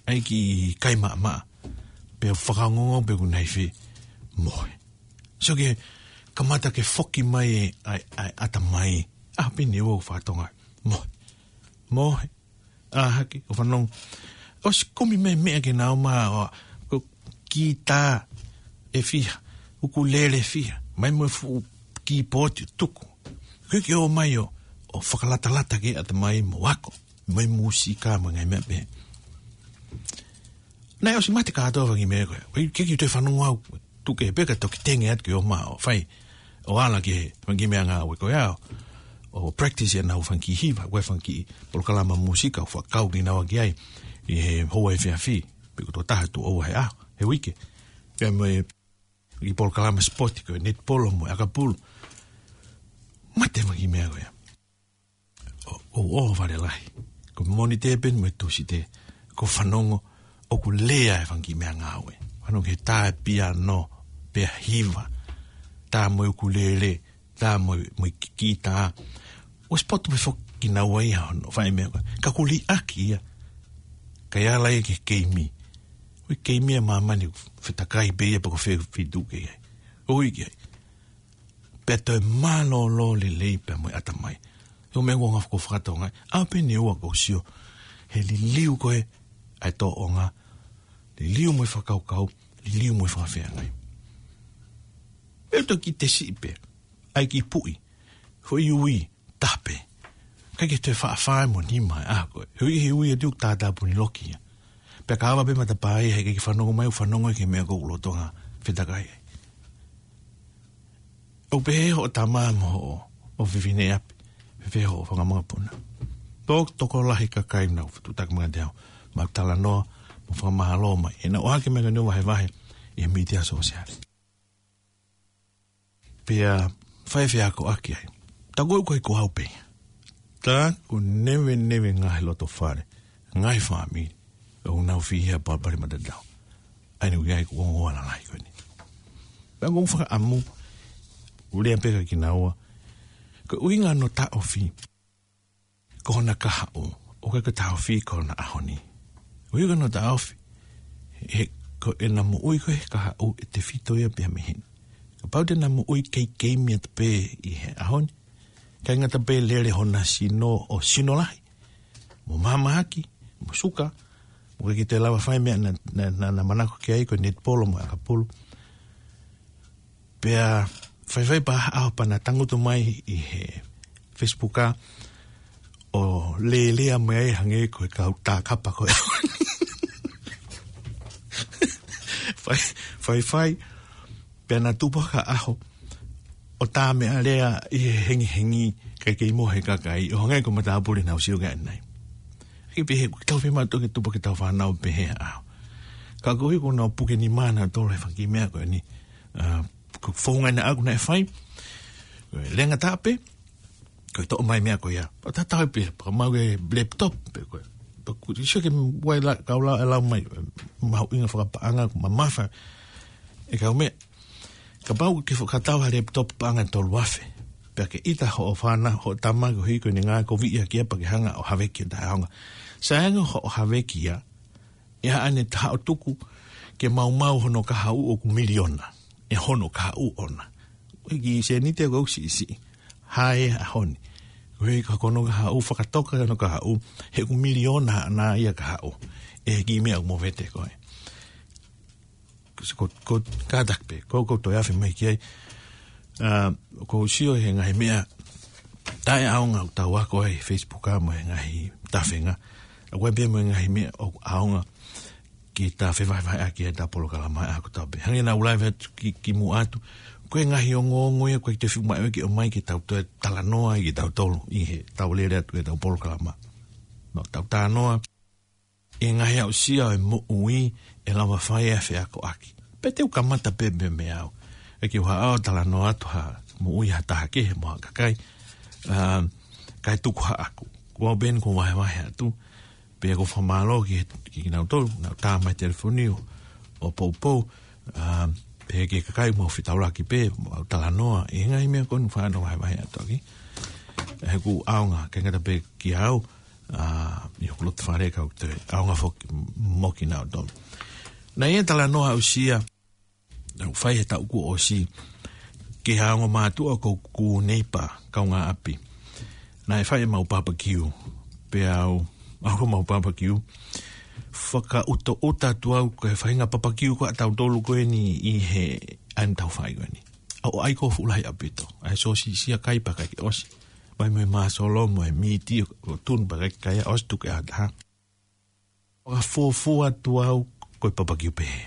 ʻAi kiʻi kai maʻamaʻa. Pea fakaongoongo pē ʻoku nai fē mohe. So ke kamata ke foki mai e, ʻai, ʻai, ʻatamai. ʻAho pē eni ʻe ua ko e fakatokangaʻi. Mohe. Mohe. ʻĀ hake, ʻo fanongo. ʻOsi kumi mai meʻa ke na ō mai ʻo, ko e kitā ʻe fiha, ʻukulele ʻe fiha, mai mo e fuʻu kīpooti tuku. Ko e ke ō mai ʻo, ʻo fakalatalata ki he ʻatamai mo ako, mo e mūsika mo e ngaahi meʻa pehē. Naʻe ʻosi mate kātoa fanga kiʻi meʻa ko ē. Ko e ke, ke toe fanongo au, tuku pē ka toki tenge atu ke ō mai ʻo fai, ʻo ala ki he fanga kiʻi meʻangāue ko ia ʻo, ʻo practice ʻenau fanga kiʻi hiva, ko e fanga kiʻi polokalama mūsika ʻoku fakakau kinaua ki ai ʻi he houa efiafi, pe ko e toko taha tuʻo ua he ʻaho, he uike. Pea mo e kiʻi polokalama sipoti ko e netipolo mo e ʻakapulu. Mate fanga kiʻi meʻa ko ia. ʻO, ʻo, ʻo fale lahi. Ko Mōnite pē mo Tūsite, ko e fanongo, ʻoku lea e fanga kiʻi meʻangāue. Fanongo he tā e piano, pea hiva, tā mo e ʻukulele, tā mo e, mo e ki-, kitā. ʻOsi poto pē foki kinaua ia hono fai meʻa ko ē. Ka kuo liʻaki ia. Kae ala ia ki he keimi. Ko e keimi ʻa māmani, fetakai pē ia pe ko fē feituʻu ke ʻi ai. ʻOi ke ʻi ai. Pea toe mālōlō lelei pea mo e ʻatamai. ʻO meʻa ʻoku ou ngaahi fakatokangaʻi. ʻAho pē eni ʻe ua ko e sio. He liliu ko ē ʻa e tōʻonga. Liliu mo e fakakaukau. Liliu mo e fakafeangai. Pea toki te siʻi pē. ʻAi kiʻi puʻi. Foʻi ui. Tape. ʻIkai ke toe faʻa fā mo nima e ʻaho ko ē. He ui, he ui ʻa e tuʻu tātāpuni loki ia. Pea ka ava pē matapā ia he ʻikai ke fanongo mai, ʻo fanongo ki he meʻa ʻoku lolotonga fetakai ai. ʻOku pehē hoʻo tama mo hoʻo ʻofefine ʻi ʻapi. Fēfē hoʻo fanga mokopuna. Tō tokolahi kakai naʻa nau fetuʻutaki mai kiate au. Mau talanoa, mau fakamālō mai. He naʻa ku ʻohake mai ko eni ʻo vahevahe ʻi he mītia sōsiale. Pea fai feakoʻaki ai. Taku ʻoku ʻikai ko au pē. Taku neveneve ngaahi loto fale, ngaahi fāmili, ʻoku nau fihi ʻa e palopalema tatau. ʻA ia naʻe ʻi ai ko e ongo ua lalahi ko eni. Pea ʻoku ou fakaʻamu, ʻo lea pē kia kinaua, Ko e ʻuhinga hono taʻofi ko hona kahaʻu, ʻoku ʻikai ko e taʻofi ko hona ʻaho ni. ʻUhinga hono taʻofi, he ko ʻena moʻui ko ē he kahaʻu ʻe tefito ia pea mei heni. Kapau te na moʻui keikei mei atu pē ʻi he ʻaho ni, ʻikai ngata pē lele hona sino ʻo sino lahi, mo mahamahaki, mo suka, mo ʻikai ke toe lava fai meʻa naʻa, naʻa, naʻa, naʻa manako ki ai, ko e netipolo mo e ʻakapulu. Pea faifai pē ha ʻaho pea na tangutu mai ʻi he Facebook ʻa ʻo lēlea mai ai hangē ko e kau tā kapa ko ē. Fai, faifai, pea na tupu ha ʻaho ʻo tā meʻa lea ʻi he hengihengi kae kei mohe kakai, ʻo hangē ko e matāpule naʻa ku sio ki ai ʻanenai. Ke pehē, ʻoku tau fiemaʻu ke tupu ke tau fānau pehē ʻa. Ka koeʻuhi ko ʻenau puke nima nautolu he fanga kiʻi meʻa ko eni. ʻA, ko e founga ʻena ʻaku naʻe fai. Ko e lenga tape, ko e toʻo mai meʻa ko ia. ʻO tatau pē, pea mau ke laptop, pe ko e. Pea ʻoku sio ke uai la, kau la, lau mai, mahuʻinga fakapaʻanga, ʻoku mamafa. ʻE kau meʻa, kapau ke fakatau ha laptop paʻanga ʻe tolu afe. Pea ke ʻita hoʻo fānau, hoʻo tama koeʻuhi ko ʻene ngāue koviʻi ʻaki ia pea ke hanga ʻo haveki ʻo taʻeʻaonga. Sai ange hoʻo haveki ia, ʻe ʻaʻane taha ʻo tuku ke maumau hono kahaʻu ʻoku miliona. ʻE hono kahaʻu ʻona. ʻOku ʻikai ke sēniti ʻoku siʻisiʻi. Hā e ʻaho ni. Koeʻuhi ko hono kahaʻu fakatoka hono kahaʻu, he ʻoku miliona ʻaʻana ia kahaʻu. ʻE kiʻi meʻa ʻoku movete ko ē. Ko, ko, kātaki pē, ko, ko toe afe mai ki ai. ʻA, ʻoku ou sio he ngaahi meʻa taʻeʻaonga ʻoku tau ako ai he Facebook ʻa mo e ngaahi tafenga. ʻA ko e pē mo e ngaahi meʻa ʻoku ʻaonga ke ta fevahevaheʻaki ʻetau polokalama ʻa ko tau pē. Hangē naʻa ku lave atu ki, kimuʻa atu. Ko e ngaahi ongoongo ia, ʻoku ʻikai te fiu mai ʻo ke ʻomai ke tau toe talanoa ai kitautolu ʻi heʻetau lele atu ʻetau polokalama. No, tau talanoa ʻi he ngaahi aʻusia ʻo e moʻui ʻe lava fai ʻa e feakoʻaki. Pea te u kamata pē pē mei au. ʻE ke u haʻu ʻo talanoa atu ha moʻui ha taha kehe mo ha kakai. ʻA, kae tuku haʻaku. Ko au pē eni ʻoku ou vahevahe atu. Pea ʻoku ou fakamālō ki, ki, kinautolu, naʻa nau tā mai telefoni ʻo, ʻo poupou. ʻA, pea ki he kakai ʻoku mau fetaulaki pē, mau talanoa. ʻI he ngaahi meʻa ko eni ʻoku ou fānau vahevahe atu ʻaki. He ʻoku ʻaonga, ʻikai ngata pē kiate au, ʻa, ʻi hoku loto fale ka ʻoku toe ʻaonga foki mo kinautolu. Naʻe ʻi ai e talanoa aʻusia, naʻa ku fai he taʻu kuo ʻosi, ki ha ongo mātuʻa ʻoku ou neighbour, kaungāʻapi. Naʻe fai ʻemau papakiu, pea u, ʻalu ki homau papakiu, fakaʻutaʻuta atu au ko e faʻahinga papakiu ko ē ʻa tautolu ko eni ʻi he ʻaho naʻa tau fai ko eni. ʻO ʻai ko e fuʻu lahi ʻaupito. ʻAi sōsisi ʻa kai pea ʻikai ke ʻosi. Mai mo e māsolo, mo e mīti, ʻo tunu pea ʻikai ke kai ʻosi tuku ʻe ha taha. Fakafuofua atu au ko e papakiu pehē.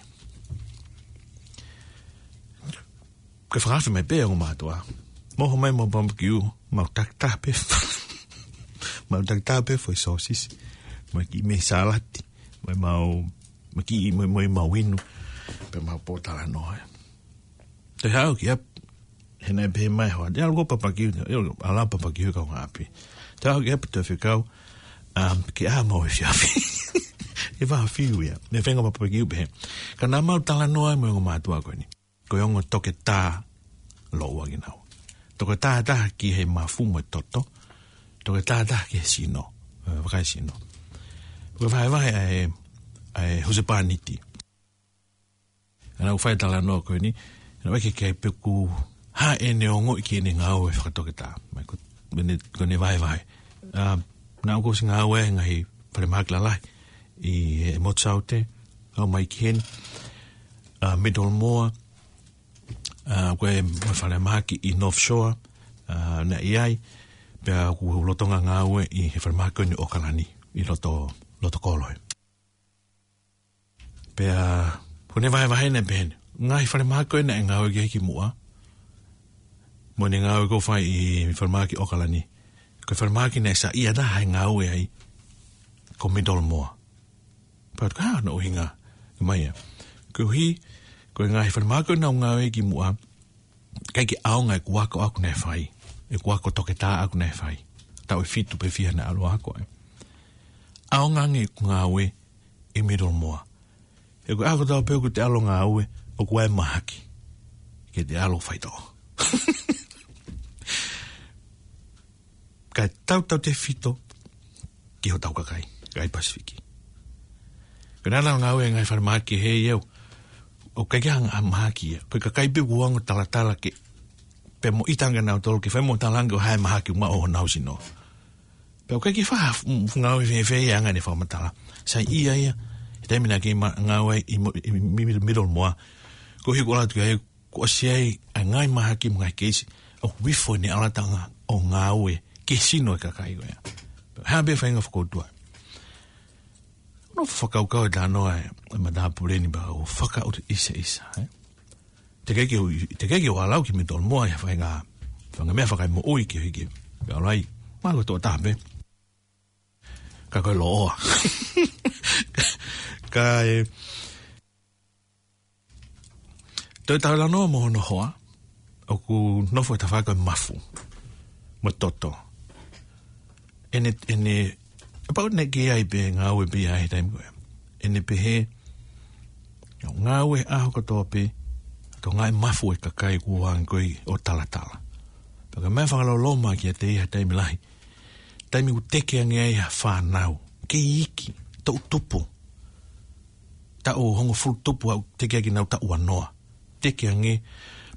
Ko e fakaafe mai pē ʻa e ongo mātuʻa. Mo homai mo papakiu, mau takitaha pē. Mau takitaha pē foʻi sōsisi. Mo e kiʻi meʻi sālati. Mo e mau, mo e kiʻi, mo e, mo e mau inu. Pea mau pōtalanoa. Toe haʻu ki ʻapi, he naʻe pehē mai hoa, te u ʻalu ko e papakiu, ʻe ʻalu, ʻalu papakiu kaungāʻapi. Toe haʻu ki ʻapi toe fekau, um, ke ʻā mau he efiafi. ʻE vaha fiu ia, ne fenga papakiu pehē. Ka naʻa mau talanoa mo e ongo mātuʻa ko eni. Ko e ongo toketā lōua kinaua. Toketā taha ki he mafu mo e toto. Toketā taha ki he sino. ʻE, vakai sino. Ko e vahevahe ʻa e, ʻa e husepāniti. Naʻa ku fai talanoa ko eni, naʻa ku ʻeke ki ai pe ʻoku hā ʻene ongoʻi ki heʻene ngāue fakatoketā. Mai ko, ko ʻene, ko ʻene vahevahe. ʻA, naʻa ku ʻosi ngāue he ngaahi falemahaki lalahi ʻi he Motu Saute, ʻalu mai ki heni, ʻa, Middlemore, ʻa, ko e mo e falemahaki ʻi North Shore, ʻa, naʻe ʻi ai, pea ʻoku ou lolotonga ngāue ʻi he falemahaki ko eni ʻOkalani, ʻi loto, loto kolo ē. Pea, ko ʻene vahevahe naʻe pehē ni. Ngaahi falemahaki ko ē naʻe ngāue ki ai kimuʻa. Mo ʻene ngāue ko ē fai ʻi falemahaki ʻOkalani. Ko e falemahaki naʻe saiʻia taha he ngāue ai. Ko Middlemore. Pea u tala, ʻa, ko hono ʻuhinga. Mai ia. Koeʻuhi, ko e ngaahi falemahaki ko ē naʻa ku ngāue ai kimuʻa. ʻIkai ke ʻaonga ʻeku ako ʻaʻaku naʻe fai. ʻEku ako toketā ʻaʻaku naʻe fai. Taʻu ʻe fitu pe fiha naʻa ku ʻalu ʻo ako ai. ʻAonga ange ʻeku ngāue ʻi Middlemore. He ko e ʻaho kotoa pē ʻoku te ʻalu ʻo ngāue, ʻoku ʻi ai e mahaki ke te ʻalu ʻo faitoʻo. ʻa e tautautefito ki hotau kakai, kakai Pasifiki. Ko e nana ngāue e ngaahi falemahaki he iau, ʻoku ʻikai ke hanga ʻo mahaki ia. Ko e kakai pē ʻoku ongo talatala ke, pea mo ʻita ange nautolu ke fai mo talaange ʻo hā e mahaki ʻoku maʻu ʻi honau sino. Pea ʻoku ʻikai ke faʻa f-, f-, ngāue fēfē ia ʻa e ngaahi fakamatala. Sai ia ia, he taimi naʻa ke ma-, ngāue ʻi mo-, ʻi mi-, mi-, Middlemore. Ko e hiko atu ki ai, kuo ʻosi ʻi ai ʻa e ngaahi mahaki mo e ngaahi keisi ʻoku ifo ʻene ʻalatanga ʻo ngāue ki he sino e kakai ko ia. Hā pē faʻahinga fakaʻutua. Nofo fakakaukau e talanoa e, e matāpule ni pea u fakaʻuta ʻiseʻisa, ē? Teʻeki ke u, teʻeki ke u ʻalu au ki Middlemore ʻi ha faʻahinga, faʻahinga meʻa fakaemoʻui ki he hiki. Pea ʻalu ai, mālō tō tāpe. Ka ko e loʻoa. Ka e, toe talanoa mo hono hoa, ʻoku nofo he tafaʻaki ʻo e mafu mo e toto. ʻEne, ʻene, ʻapau naʻe ʻi ai pē ngāue pē ia he taimi ko ē. ʻEne pehē, ngāue ʻaho kotoa pē, tokangaʻi e mafu e kakai kuo hangē ko ē ʻo talatala. Pea ko e meʻa fakaloloma kiate ia he taimi lahi. Taimi ʻoku teke ange ai ha fānau, kei iiki, toʻu tupu. Taʻu hongofulu tupu ʻoku teke ai kinaua taʻu ua noa. Teke ange,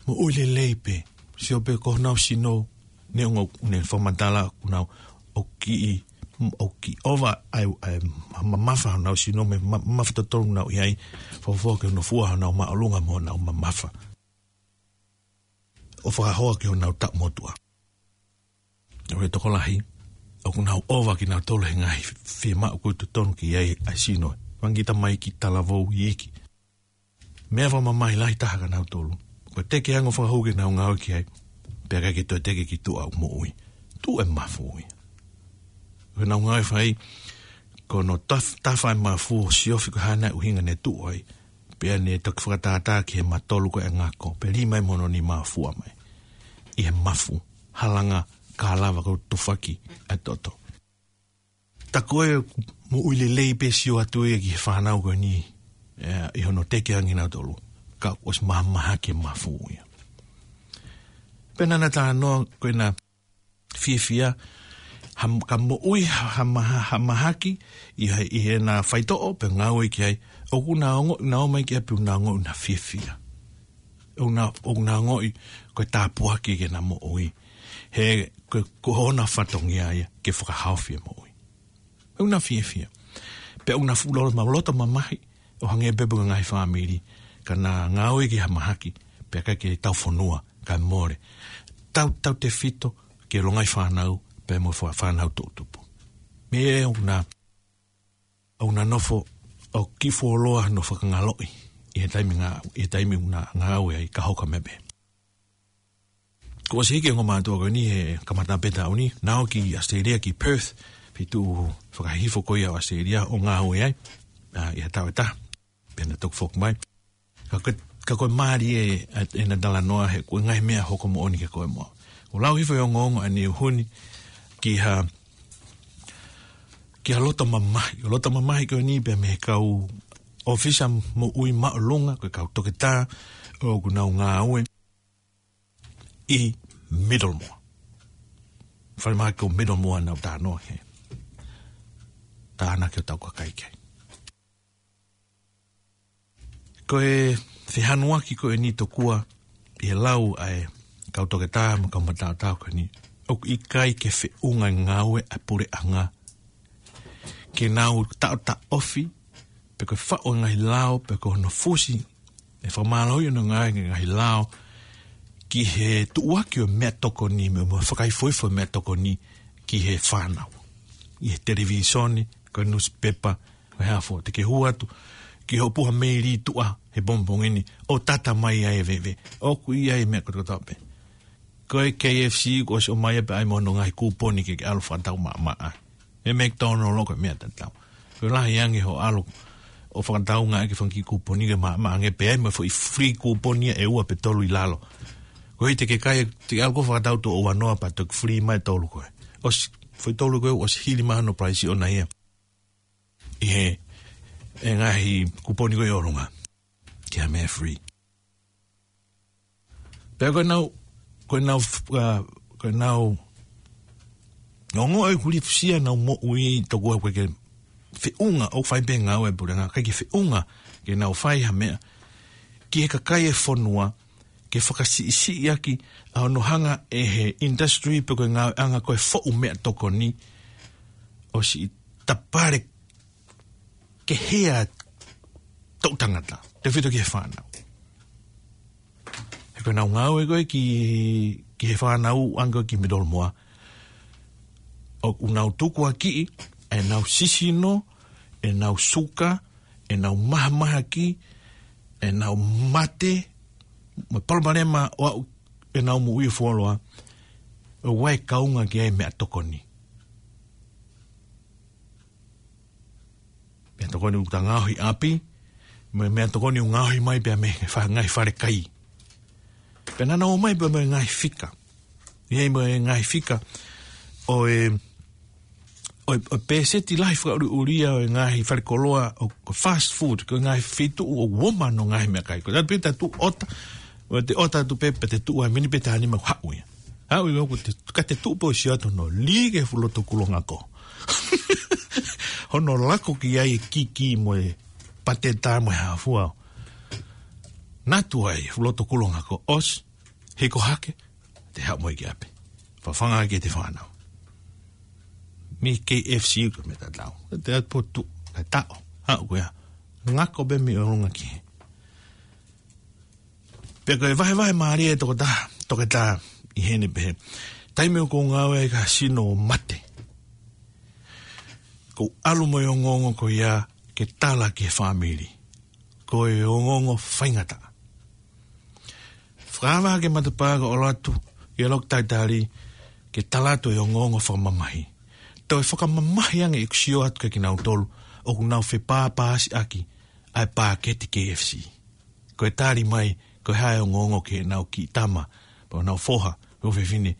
moʻui lelei pē. Sio pē ko honau sino, neongo ʻene fakamatala ʻoku nau ʻoku kiʻi, ʻoku kiʻi ʻova ʻa e, ʻa e ma-, mamafa honau sino mo e ma-, mamafa totonu ʻoku nau ʻi ai, fakafoki hono fua honau māʻolunga mo honau mamafa. ʻO fakahoa ki honau taʻu motuʻa. ʻO e tokolahi, ʻoku nau ʻova kinautolu he ngaahi fiemaʻu ʻoku totonu ke ʻi ai ʻa e sino. Fanga kiʻi tamaiki, talavou, iiki. Meʻa fakamamahi lahi taha kia nautolu. Ko e teke ange ʻo fakahū ke nau ngāue ki ai. Pea ʻikai ke toe teke ki tuʻa ʻo moʻui. Tuʻu e mafu ia. Ko ʻenau ngāue fai, ko hono taf-, tafa e mafu ʻo siofi ko e hā nai ʻuhinga ne tuʻu ai. Pea ne toki fakatātā ki he matolu ko e ngako. Pea lī mai mo hono nima ʻo fua mai. ʻI he mafu, halanga, ka lava ko e tufaki ʻa e toto. Tā ko e moʻui lelei pē sio atu ia ki he fānau ko eni, ē, ʻi hono teke ange nautolu. Ka ʻosi mahamahaki e mafu ia. Pea naʻa na talanoa ko ena fiefia, ha, ka moʻui ha, ha maha-, ha mahaki, ʻi he, ʻi heʻena faitoʻo, pea ngāue ki ai, ʻoku na ongoʻi, na ō mai ki ʻapi ʻoku na ongoʻi ʻoku na fiefia. ʻOku na, ʻoku na ongoʻi, ko e tāpuaki ke na moʻui. He, ko, ko hona fatongia ia, ke fakahaofi e moʻui. ʻOku na fiefia. Pea ʻoku na fuʻu loto ma-, loto mamahi, ʻo hangē pē ko e ngaahi fāmili, ka na ngāue ki ha mahaki, pea ʻikai ke tau fonua, kae mole. Tautautefito, ki he longaʻi fānau, pea mo e fā-, fānau toʻu tupu. Meʻa ʻoku na, ʻoku na nofo, ʻoku kiʻi fuoloa hono fakangaloʻi, ʻi he taimi ngā-, ʻi he taimi ʻoku na ngāue ai ka hoko mai pē. Kuo ʻosi hiki e ongo mātuʻa ko eni he kamata pē taʻu ni, na ō ki ʻAositelēlia ki Perth, feituʻu fakahihifo ko ia ʻo ʻAositelēlia ʻo ngāue ai, ā, ʻi ha taʻu ʻe taha, pea na toki foki mai. Ka ko e, ka ko e mālie e, ʻena talanoa he ko e ngaahi meʻa hoko moʻoni kia koe mo au. ʻOku lau hifo e ongoongo ʻaneuhu ni ki ha, ki ha loto mamahi. ʻO loto mamahi ko eni pea mei he kau ʻōfisa moʻui māʻolunga, ko e kau toketā, ʻoku nau ngāue ʻi Middlemore. Falemahaki ko Middlemore naʻa ku talanoa ki ai. Tānaki hotau kakai ki ai. Ko e fehanuaki ko eni tokua ʻi he lau ʻa e kau toketā mo e kau mataotao ko eni. ʻOku ʻikai ke feʻunga e ngāue ʻa e puleʻanga ke nau taʻotaʻofi, pe ko e faʻu e ngaahi lao, pe ko hono fusi, ʻe fakamālohi hono ngaahi, ngaahi lao, ki he tuʻuaki ʻo e meʻatokoni, mo e, mo e fakaifoifo e meʻatokoni, ki he fānau. ʻI he televīsone, ko e nusipepa, ko e hā fua, te ke hū atu, ki hoʻo puha meili tuʻa, he pongipongi ni, ʻo tata mai ai e veve. ʻOku ʻi ai e meʻa kotoa pē. Ko e K F C, kuo ʻosi ʻomai ia pea ʻai mo hono ngaahi kūponi ke ke ʻalu fakatau maʻamaʻa. He McDonald ko e meʻa tatau. Ko e lahi ange hoʻo ʻalu ʻo fakatau ngaahi fanga kiʻi kūponi ke maʻamaʻa ange pea ʻai mo e foʻi free kūponi ia ʻe ua pe tolu ʻi lalo. Ko e hā te ke kai, te ke ʻalu koe ʻo fakatau tuʻo ua noa pea toki free mai tolu ko ē. ʻOsi, foʻi tolu ko ē, ʻosi hili mai hono price ʻona ia. ʻI he, e ngaahi kūponi ko ē ʻi ʻolunga. Ke ha meʻa free. Pea ko ʻenau, ko ʻenau, uh, ko ʻenau Ongoʻi ʻoku lifusia ʻenau moʻui tokua ʻoku ʻikai ke feʻunga, ʻoku fai pē ngāue ʻa e puleʻanga, ʻikai ke feʻunga ke nau fai ha meʻa ki he kakai e fonua, ke fakasiʻisiʻi ʻaki ʻa hono hanga ʻe he industry pe ko e ngāueʻanga ko e foʻu meʻatokoni ʻo siʻi tapale kehe ʻa e toʻu tangata, tefito ki he fānau. He ko ʻenau ngāue ko ē ki, ki he fānau ʻoange ko ē ki Mitolomoa, ʻoku nau tukuakiʻi ʻenau sisino, ʻenau suka, ʻenau mahamahaki, ʻenau mate, mo e palopalema ʻo aʻu ʻenau moʻui ʻo fuoloa, ʻoku ʻi ai e kaunga ki ai e meʻatokoni. Meʻatokoni ʻoku ta ngaohi ʻi ʻapi, mo e meʻatokoni ʻoku ngaohi mai pea mei he fa-, ngaahi falekai. Pea naʻa nau ō mai pea mo e ngaahi fika. ʻI ai mo e ngaahi fika ʻo e, ʻo e, ʻo e pēseti lahi fakaʻuliʻulia ʻo e ngaahi falekoloa ʻo, ʻo fast food, ko e ngaahi feituʻu ʻoku ō mai ai e ngaahi meʻakai. Ko e taha pē te tuʻu ʻota, ʻo te ʻota atu pē, pea te tuʻu ai mini pē taha nima ʻoku haʻu ia. Haʻu ia ʻoku te, ka te tuʻu pē ʻo sio atu hono lī ki he fuʻu loto kulongako. Hono lako ki ai e kiki mo e pateta mo e hā fua. Natu ai, fuʻu loto kulongako ʻosi, hiko hake, te haʻu mo ia ki ʻapi. Fafanga ki he fānau. Mei he K F C ko e meʻa tatau. Te atu pē ʻo tuʻu, kae taʻo, haʻu ko ia. Ngako pē mei ʻolunga ki hē. Pea ko e vahevahe mālie ʻa e tokotaha, toketā ʻi heni pehē. Taimi ʻoku ou ngāue ai ki ha sino ʻo mate, ʻoku ou ʻalu mo e ongoongo ko ia ke tala ki he fāmili. Ko e ongoongo faingataʻa. Fakaava hake matapā kae ʻalu atu ki he loki talitali ke tala atu e ongoongo fakamamahi. Toe fakamamahi ange ʻeku sio atu kiate kinautolu ʻoku nau fepāpāsiʻaki ʻa e pāketi K F C. Ko e tali mai, ko e hā e ongoongo ki heʻenau kiʻi tama, pe ko ʻenau foha, pe ko e fefine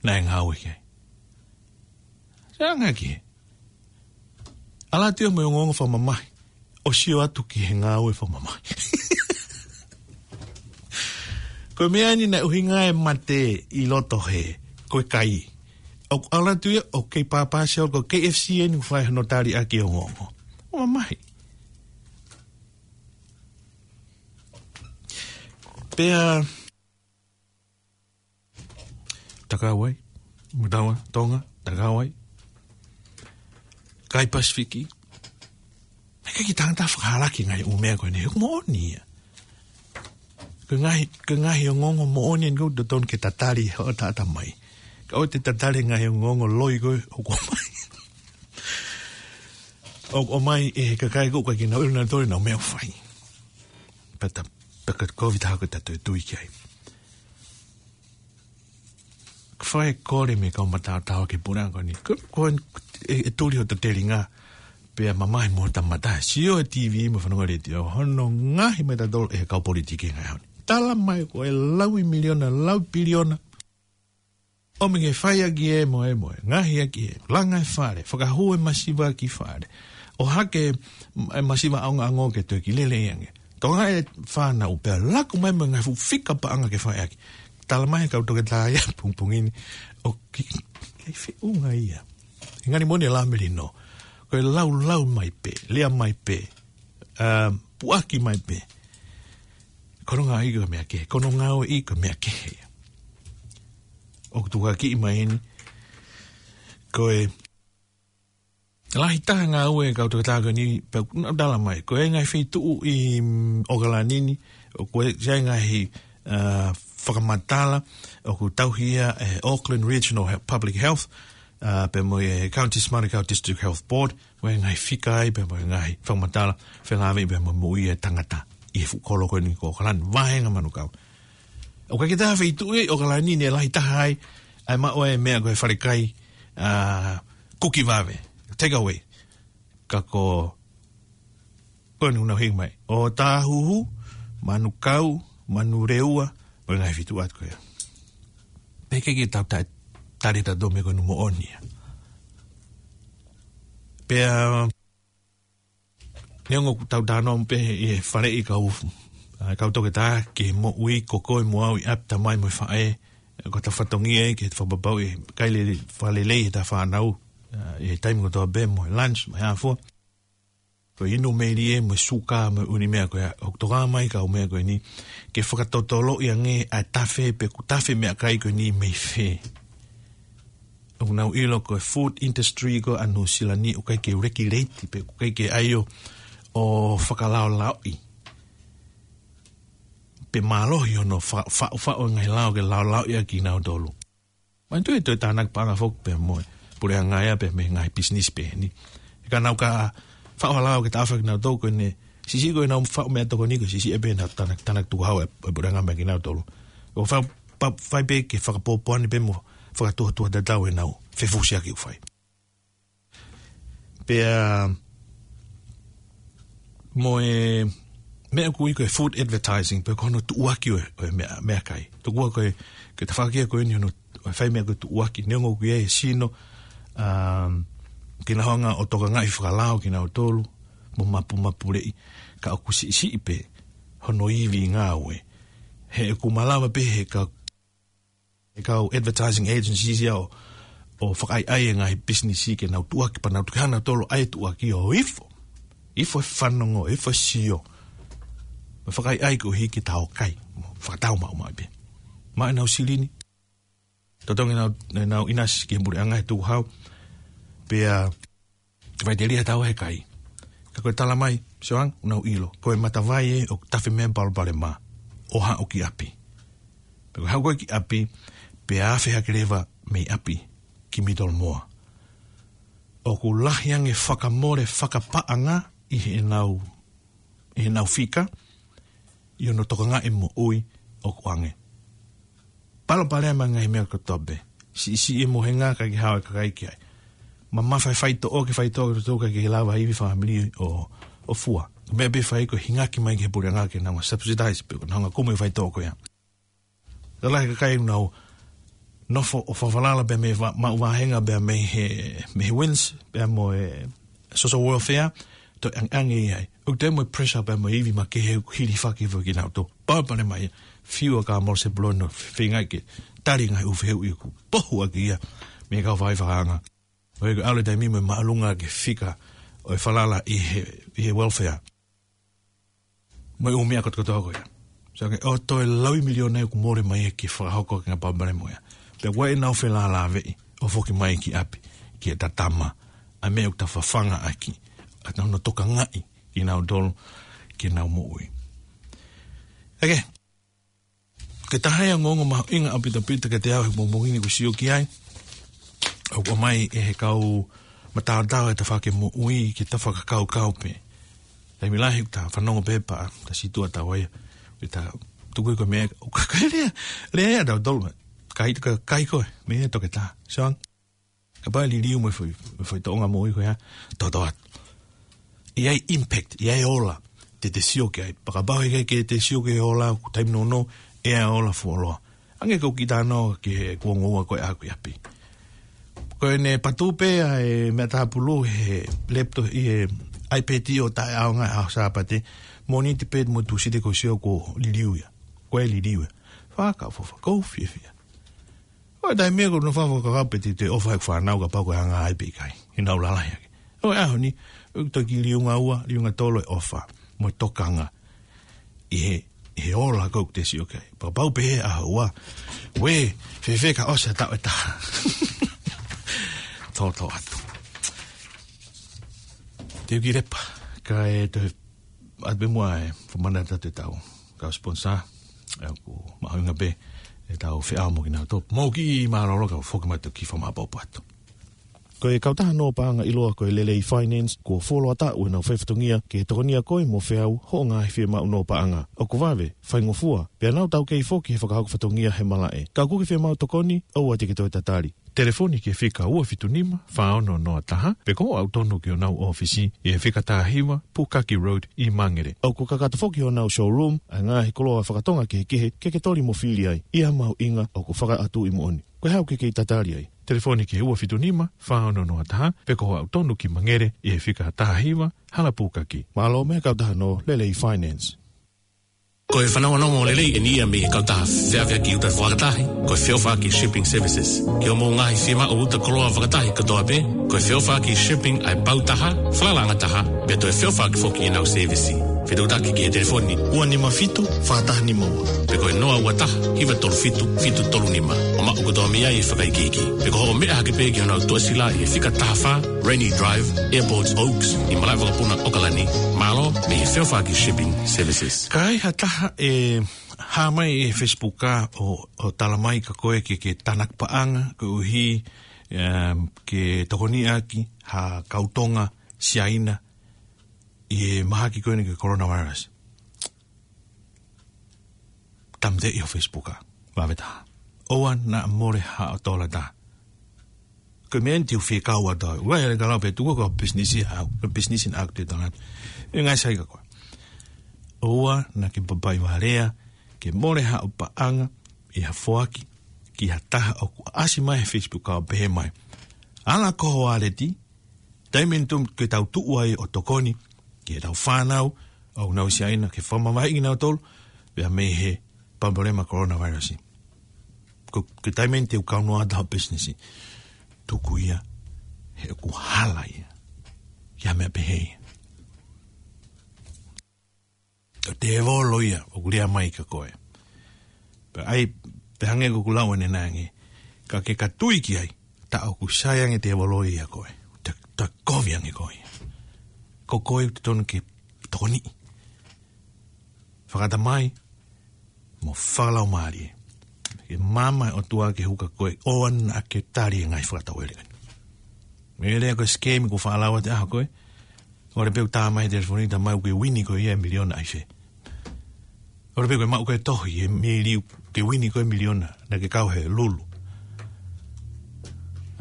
naʻe ngāue ki ai. Sio ange ki hē. ʻAlu atu ia mo e ongoongo fakamamahi, ʻo sio atu ki he ngāue fakamamahi. Ko e meʻa eni naʻe ʻuhinga e mate ʻi loto hē, ko e kai. ʻOku ʻalu atu ia ʻo kei pāpāsi ʻo ko e K F C eni ʻoku fai hono tali ʻaki e ongoongo. Fakamamahi. Pea Takauai, Mataua, Tonga, Takauai, kai Pasifiki. He ʻikai ke tangata fakahalaki ngaahi ʻū meʻa ko eni, he ʻoku moʻoni ia. Ko e ngaahi, ko e ngaahi ongoongo moʻoni eni ʻoku totonu ke tatali hoʻo taʻatamai. Ka ʻoua te tatali ngaahi ongoongo loi ko ē ʻoku ʻomai. ʻOku ʻomai ʻe he kakai ko ē ʻoku ʻikai ke nau ʻilo nautolu ʻenau meʻa ʻoku fai. Pea ta, pea ka kovi taha ko ē ta toe tui ki ai. Ka fai e kole mei he kau mataotao ki he puleʻanga ko eni. Ko, ko e, e tuli hoto telinga. Pea mamahi mo hota mata. Sio he T V mo fanongo letiō. Hono ngaohi mai tautolu ʻe he kau politiki he ngaahi ʻaho ni. Tala mai ko e laui miliona, laui piliona. ʻOmi ke fai ʻaki e moe moe. Ngaohi ʻaki e langa e fale. Fakahū e masiva ki fale. ʻOhake e masiva ʻaonga ʻango ke toe kiʻi lelei ange. Tokangaʻi e fānau pea laku mai mo e ngaahi fuʻu fika paʻanga ke fai ʻaki. Tala mai kau toketā ia pongipongi ni. ʻOku ʻikai feʻunga ia. He ngali moʻoni e lā melino. Ko e laulau mai pē, lea mai pē. ʻA, puʻaki mai pē. Ko hono ngāueʻi ko e meʻa kehe. Ko hono ngāueʻi ko e meʻa kehe. ʻOku tukuakiʻi mai eni. Ko e lahi taha ngāue kau toketā ko eni, pea ʻoku nau tala mai. Ko e ngaahi feituʻu ʻi, mm, ʻOkalani ni, ʻoku ʻi ai e ngaahi, ʻa, fakamatala, ʻoku tauhi ia ʻe he Auckland Regional He-, Public Health, ʻa, pea mo e County Smart County District Health Board, mo e ngaahi fika ai, pea mo e ngaahi fakamatala, felāveʻi pea mo e moʻui e tangata ʻi he fuʻu kolo ko eni ko ʻOkalani, vāhenga manukau. ʻOku ʻikai ke toe feituʻu ʻi ʻOkalani ni ʻe lahi taha ai, ʻa e maʻu e meʻa ko e falekai, ʻa, kuki vave, take away. Ka ko, ko eni ʻoku nau hiki mai. ʻOtāhuhu, Manukau, Manurewa, mo e ngaahi feituʻu atu ko ia. Pea ʻikai ke tau ta-, tali tautolu meʻa ko eni moʻoni ia. Pea, neongo ʻoku tau talanoa pē ʻi he faleʻi kau, ʻa, kau toketā ki he moʻui ko koe mo au ʻi ʻapi, tamai mo e faʻē, Ko ʻeta fatongia ia ke fakapapauʻi ʻe kai lelei, fakalelei ʻeta fānau, ʻa, ʻi he taimi kotoa pē mo e lunch, mo e hā fua. Ko e inu meili ē mo e suka mo e ʻū meʻa ko ia, ʻoku tokanga mai kau meʻa ko eni, ke fakatotoloʻi ange ʻa e tafe pe ʻoku tafe meʻakai ko eni mei fē. ʻOku nau ʻilo ko e food industry ko ē ʻa Nuʻu Sila ni ʻoku ʻikai ke regulate pe ʻoku ʻikai ke ʻai ʻo, ʻo fakalaolaoʻi. Pe mālohi hono fa-, fa-, faʻu e ngaahi lao ke laolaoʻi ʻaki kinautolu. Manatuʻi ʻe toe tānaki paʻanga foki pē mo e puleʻanga ia pē mei he ngaahi business pē ni. He ka nau ka faʻu ha lao ke taʻofi kinautolu ko ʻene siʻisiʻi ko ʻenau faʻu meʻatokoni ko e siʻisiʻi ē pē ʻenau tānaki, tānaki tukuhau e, e puleʻanga meia kinautolu. ʻO fai, pa-, fai pē ke fakapōpoaki pē mo fakatuʻutuʻu tatau ʻenau fefusiaki ʻoku fai. Pea mo e meʻa ʻoku ui ko e food advertising, pe ko hono tuʻuaki ʻo e, ʻo e meʻa, meʻakai. Tokua ko e, ke tafakia ko eni hono, ʻo e fai meʻa ko e tuʻuaki, neongo ʻoku ʻi ai e sino, um, ke nau hanga ʻo tokangaʻi fakalao kinautolu, mo mapumapuleʻi, ka ʻoku siʻisiʻi pē hono ivi ngāue. He ʻoku malava pē he ka e kau advertising agencies ia ʻo, ʻo fakaʻaiʻai e ngaahi business ke nau tuʻuaki pea nau tuku hana tolo ai tuʻuaki ʻo ifo. Ifo e fanongo, ifo e sio. Mo fakaʻaiʻai koeʻuhi ke tau kai. Mo fakatau maʻu maʻu pē. Maʻu ʻenau silini. Totongi nau, nau ʻinasi ki he puleʻanga he tukuhau. Pea Te faiteliha tau he kai. Ka ko e tala mai, Sioang, ʻoku nau ʻilo. Ko e matavai ē ʻoku tafe mei ai e palopalema. ʻO haʻu ki ʻapi. Pea ko e haʻu ko ē ki ʻapi, pea afe hake leva mei ʻapi, ki Middlemore. ʻOku lahi ange fakamole fakapaʻanga ʻi heʻenau ʻi heʻenau fika, ʻi hono tokangaʻi moʻui ʻoku ʻange. Palopalema ngaahi meʻa kotoa pē. Siʻisiʻi e mohenga ka ke hao e kakai ki ai. Mamafa e faitoʻo ke faitoʻo ke tutuka ke lava ivi fāmili ʻo, ʻo fua. Meʻa pē fai ko e hingaki mai ki he puleʻanga ke nau subsidize pe ko e nau hanga kumi e faitoʻo ko ia. Lalahi e kakai ʻoku nau nofo ʻo fafalala pea mei he va-, maʻu vāhenga pea mei he, mei he WINZ, pea mo e social welfare, toe ʻangeʻange ia ai. ʻOku toe mo e pressure pea mo e ivi makehe ʻoku hilifaki foki kinautolu. Palopalema ia, fiu ʻa Kamala Sepuloni ʻo feinga ke tali e ngaahi ʻū fehuʻi ʻoku pohu ʻaki ia mei he kau faifakaanga. ʻOku ʻalu e taimi mo e māʻolunga ke fika ʻo e falala ʻi he, ʻi he welfare. Mo e ʻū meʻa kotokotoa ko ia. So ke ʻoua toe laui miliona ʻoku mole mai ē ke fakahoko ki he ngaahi palopalema ia. Pea ʻoku ʻi ai ʻenau felālāveʻi ʻo foki mai ki ʻapi, ki heʻeta tama, ʻa e meʻa ʻoku ta fafanga ʻaki, ʻa hono tokangaʻi kinautolu ke nau moʻui. ʻEke, ko e taha ia e ongoongo mahuʻinga ʻaupito pē kiate au he pongipongi ni ʻoku ou sio ki ai. ʻOku ʻomai ʻe he kau mataotao e tafaʻaki moʻui ke ta fakakaukau pē. Taimi lahi ʻoku ta fanongo pē pea ta sītuʻa tau ai. Pea ta tuku ʻi ko e meʻa, ʻoku ka-, ka lea, lea ia tautolu. Kai, ka-, kai koe, meʻa ia toketā. Sioang. Kapau ʻe liliu mo e foʻi, mo e foʻi tōʻonga moʻui ko ia, toto atu. ʻI ai impact, ʻi ai ola, te te sio ki ai. Pea kapau heʻikai ke te sio ki he ola, ʻoku taimi nounou, ʻe ʻi ai ola fuoloa. Hangē ko e kiʻi talanoa ki he kuonga ua ko ē ʻaʻaku ʻi ʻapi. Ko ʻene patu pē ʻa e meʻa tāpulu he laptop ʻi he iPad ʻo taʻeʻaonga ʻaho Sāpate, Mōnite pē mo Tūsite ʻoku ou sio kuo liliu ia. Kuo liliu ia. Fakafofo, ʻoku ou fiefia. ʻO taimi ko ē ʻoku ou nofo fakakaukau pe te u toe ʻofa he fānau kapau ko e anga ai pe ʻikai. He nau lalahi hake. ʻO e ʻaho ni, ʻoku toki liunga ua, liunga tolu e ʻofa. Mo e tokanga. ʻI he, ʻi he ola ʻoku te sio ki ai. Pea kapau pē he ʻaho ua. Uē, fēfē ka ʻosi ʻa e taʻu ʻe taha. Toto atu. Te u kiʻi lepa. Kae toe ʻoatu pē muʻa e fakamanatu atu ʻetau kau sponsor, ʻa ia ʻoku mahuʻinga pē ʻetau feʻao mo kinautolu. Mou kiʻi mālōlō kae foki mai atu ki he fakamaʻopoʻopo atu. Ko e kautaha Noa Paʻanga ʻiloa ko e Lelei Finance, kuo fuoloa taʻu ʻenau fai fatongia ke tokonia koe mo feau hoʻo ngaahi fiemaʻu noa paʻanga. ʻOku vave, faingofua, pea nau taukei foki he fakahoko fatongia he malaʻe. Ka ʻoku ke fiemaʻu tokoni, ʻoua te ke toe tatali. Telefoni ki he fika ua fitu nima, fā ono noa taha, pe ko hoʻo aʻu tonu ki honau ʻōfisi ʻi he fika taha hiva, Pukaki Road ʻi Mangere. ʻOku kakato foki honau showroom ʻa e ngaahi koloa fakatonga kehekehe ke ke toli mo fili ai. ʻI ha mahuʻinga ʻoku fakaʻatuʻi moʻoni. Ko e hā ʻoku ke kei tatali ai? Telefoni ki he ua fitu nima, fā ono noa taha, pe ko hoʻo aʻu tonu ki Mangere ʻi he fika taha hiva, Hala Pukaki. Mālō mei he kautaha Noa, Lelei Finance. Ko e fanongonongo lelei eni ia mei he kautaha feʻaveʻaki uta fakatahi, ko e feʻofaʻaki shipping services. Ki hoʻomou ngaahi fiemaʻu uta koloa fakatahi kotoa pē, ko e feʻofaʻaki shipping ʻa e pau taha, falalaʻanga taha, pea toe feʻofaʻaki foki ʻenau sēvisi. Fetuʻutaki ki he telefoni ua nima fitu, fā taha nima ua. Pe ko e noa ua taha, hiva tolu fitu, fitu tolu nima. ʻO maʻu kotoa mei ai e fakaikiiki. Pe ko hoʻo meʻa hake pē ki honau tuʻasila ʻi he fika taha fā, Rainy Drive, Airport Oaks, ʻi malaʻe vakapuna ʻOkalani. Mālō, mei he feʻofaʻaki shipping services. Ka ai ha taha ʻe hā mai he Facebook ʻo, ʻo tala mai kia koe ke, ke tānaki paʻanga, koeʻuhi, em, ke tokoniʻaki ha kau Tonga Siaina ʻi he mahaki ko eni ki he coronavirus. Tāmateʻi ho Facebook ʻa, vave taha. ʻOua naʻa mole haʻo tola taha. Ko e meʻa eni te u fie kau atu au. Ua e le kalau pe tuku ko business ia au. Ko business in act e tangata. E ngai sai ka koe. ʻOua naʻa ke papaiva lea, ke mole haʻo paʻanga ʻi ha foaki ki ha taha ʻoku ʻasi mai he Facebook ʻo pehē mai, ala ko ho waleti, taimi eni tuʻu ke tau tuʻu ai ʻo tokoni ki heʻetau fānau ʻoku nau ʻi Siaina ke fakamavaheʻi kinautolu pea mei he palopalema coronavirus. Ko, ko e taimi eni te u kaunoa atu ho business. Tuku ia, he ʻoku hala ia. Ia meʻa pehē ia. Ko e tēvolo ia ʻoku lea mai kia koe. Pea ʻai, pea hangē ko ʻeku lau ʻanenai ange. Ka ke ka tui ki ai, tā ʻoku sai ange tēvolo ia koe. Ta, ta kovi ange koe. Ko koe ʻoku totonu ke tokoniʻi. Fakatamai, mo fakalaumālie. Ke maama e ʻOtua ke hū kia koe, ʻoua naʻa ke tali e ngaahi fakatauele ko eni. Meʻa lea ko e scam ko e faʻa lau atu ʻa koe. ʻOua pē ʻo tā mai he telefoni tā mai ʻoku ke uini koe ia e miliona ʻi fē. ʻOua pē ʻo ke maʻu koe tohi he mili ʻoku ke uini koe miliona naʻa ke kau he lulu.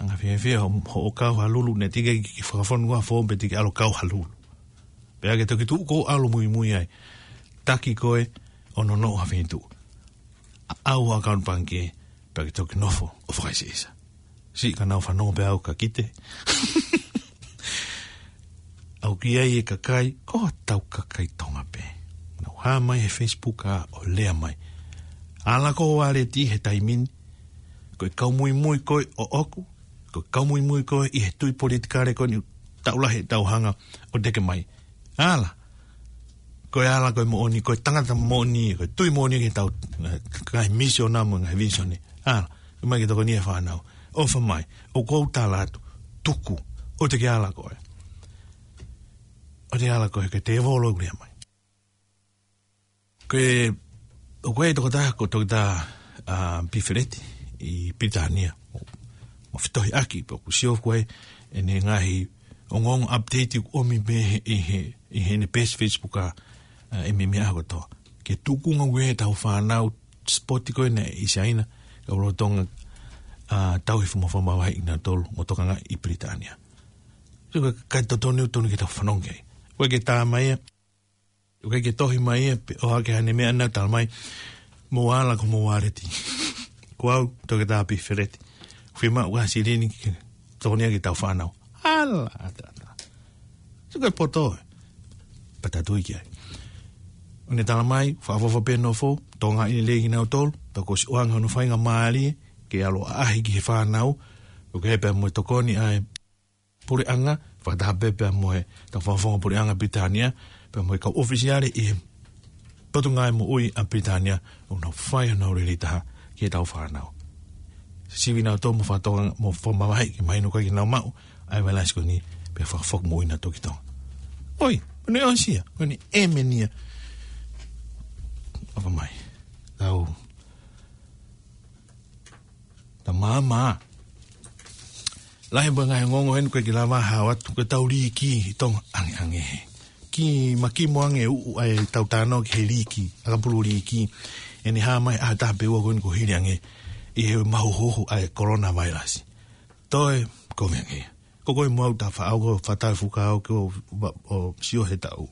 Anga fiefia ho, hoʻo kau ha lulu naʻe teʻeki ke fakafonu ʻa fō pe teʻeki ʻalu kau ha lulu. Pea ke toki tuʻu koe ʻo ʻalu muimui ai. Taki koe ʻo nonoʻo ha feituʻu. ʻAʻau ʻa account pangikē, pea ke toki nofo ʻo fakaʻiseʻisa. Siʻi ka nau fanongo pē au ka kite. ʻOku ʻi ai e kakai, ko hotau kakai Tonga pē. Nau hā mai he Facebook ʻa ʻo lea mai. Ala ko ho waleti he taimi ni, ko e kau muimui koe ʻoʻoku, ko e kau muimui koe ʻi he tui politikale ko eni taʻu lahi ʻetau hanga ʻo teke mai. Ala. Ko e ala ko e moʻoni, ko e tangata moʻoni, ko e tui moʻoni ke tau, eh, ngaahi misiona mo e ngaahi vīsone. Ala. Ko e mai ke tokoni e fānau. ʻOfa mai. ʻOku ou tala atu. Tuku. ʻOua te ke ala koe. ʻOua te ke ala koe, ko e tēvolo ʻoku lea mai. Ko e, ʻoku ʻi ai e tokotaha ko Toketā, ʻa, Pifeleti ʻi Pilitānia. Mo, mo fitohiʻaki, pea ʻoku sio ko e, ʻene ngaahi ongoongo update ʻoku ʻomi mei he, ʻi he, ʻi heʻene peesi Facebook ʻa, ʻa, ʻi he meimei ʻaho kotoa. Ke tuku ngāue ʻetau fānau sport ko eni ʻi Siaina, kau lolotonga, ʻa, tauhi mo fakamavaheʻi kinautolu, mo tokangaʻi ʻi Pilitānia. So, ka, ka totonu, tonu ke tau fanongo ki ai. ʻOku ʻikai ke tā mai ia, ʻoku ʻikai ke tohi mai ia, pe ʻohake haʻane meʻa naʻa tala mai, mou ala ko homou waleti. Ko au, Toketā Pifeleti. Fiemaʻu ha silini ke tokoni ki heʻetau fānau. Ala, ata, ata. Sio ko e poto ē. Pea tatau ki ai. ʻOku ne tala mai, fakaʻofoʻofa pē nofo, tokangaʻi lelei kinautolu, pea kuo ʻosi ʻoange hono faingamālie, ke ʻalu ʻo ʻaʻahi ki he fānau, ʻoku ʻi ai pē mo e tokoni ʻa e puleʻanga, fakataha pē pea mo e, tau fakafofonga puleʻanga Pilitānia, pea mo e kau ʻōfisiale ʻi he Potungāue Moʻui ʻa Pilitānia, ʻoku nau fai honau lelei taha ki heʻetau fānau. Sivi kinautolu mo fakatonga, mo fakamavaheʻi ke mahino ʻoku ʻikai ke nau maʻu ʻa e vailasi ko eni, pea fakafoki moʻui kinautolu ki Tonga. ʻOi, ʻoku ne ʻosi ia, ʻoku ne ʻēmeni ia. ʻOfa mai. Tau. Tau māmā. Lahi pē ngaahi ongoongo eni ʻoku ʻikai ke lava hao atu, ko ʻetau līki ʻi Tonga ʻangeʻange he. Ki makimo ange uʻu ʻa ʻetau tānaki he līki, ʻakapulu līki, ʻene hā mai ʻaho ʻe taha pe ua ko eni kuo hili ange ʻi he mahuhuhu ʻa e coronavirus. Toe kovi ange. Ko koe mo au ta faʻao ko fata fuka au ko va-, ʻo sio he tau.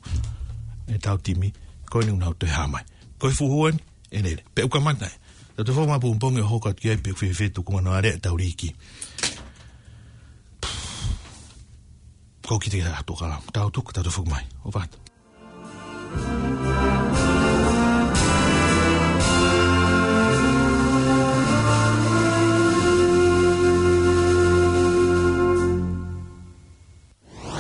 He tau timi. Ko eni ʻoku nau toe hā mai. Ko e fuhu eni, ʻe lele. Pea ʻoku kamata ē. Tau toe foki mai pongipongi ʻo hoko atu ki ai pe ʻoku fēfē tuku mano are ʻetau līki. Ko kite ke atu kala. Tau tuku, tau toe foki mai. ʻOfa atu.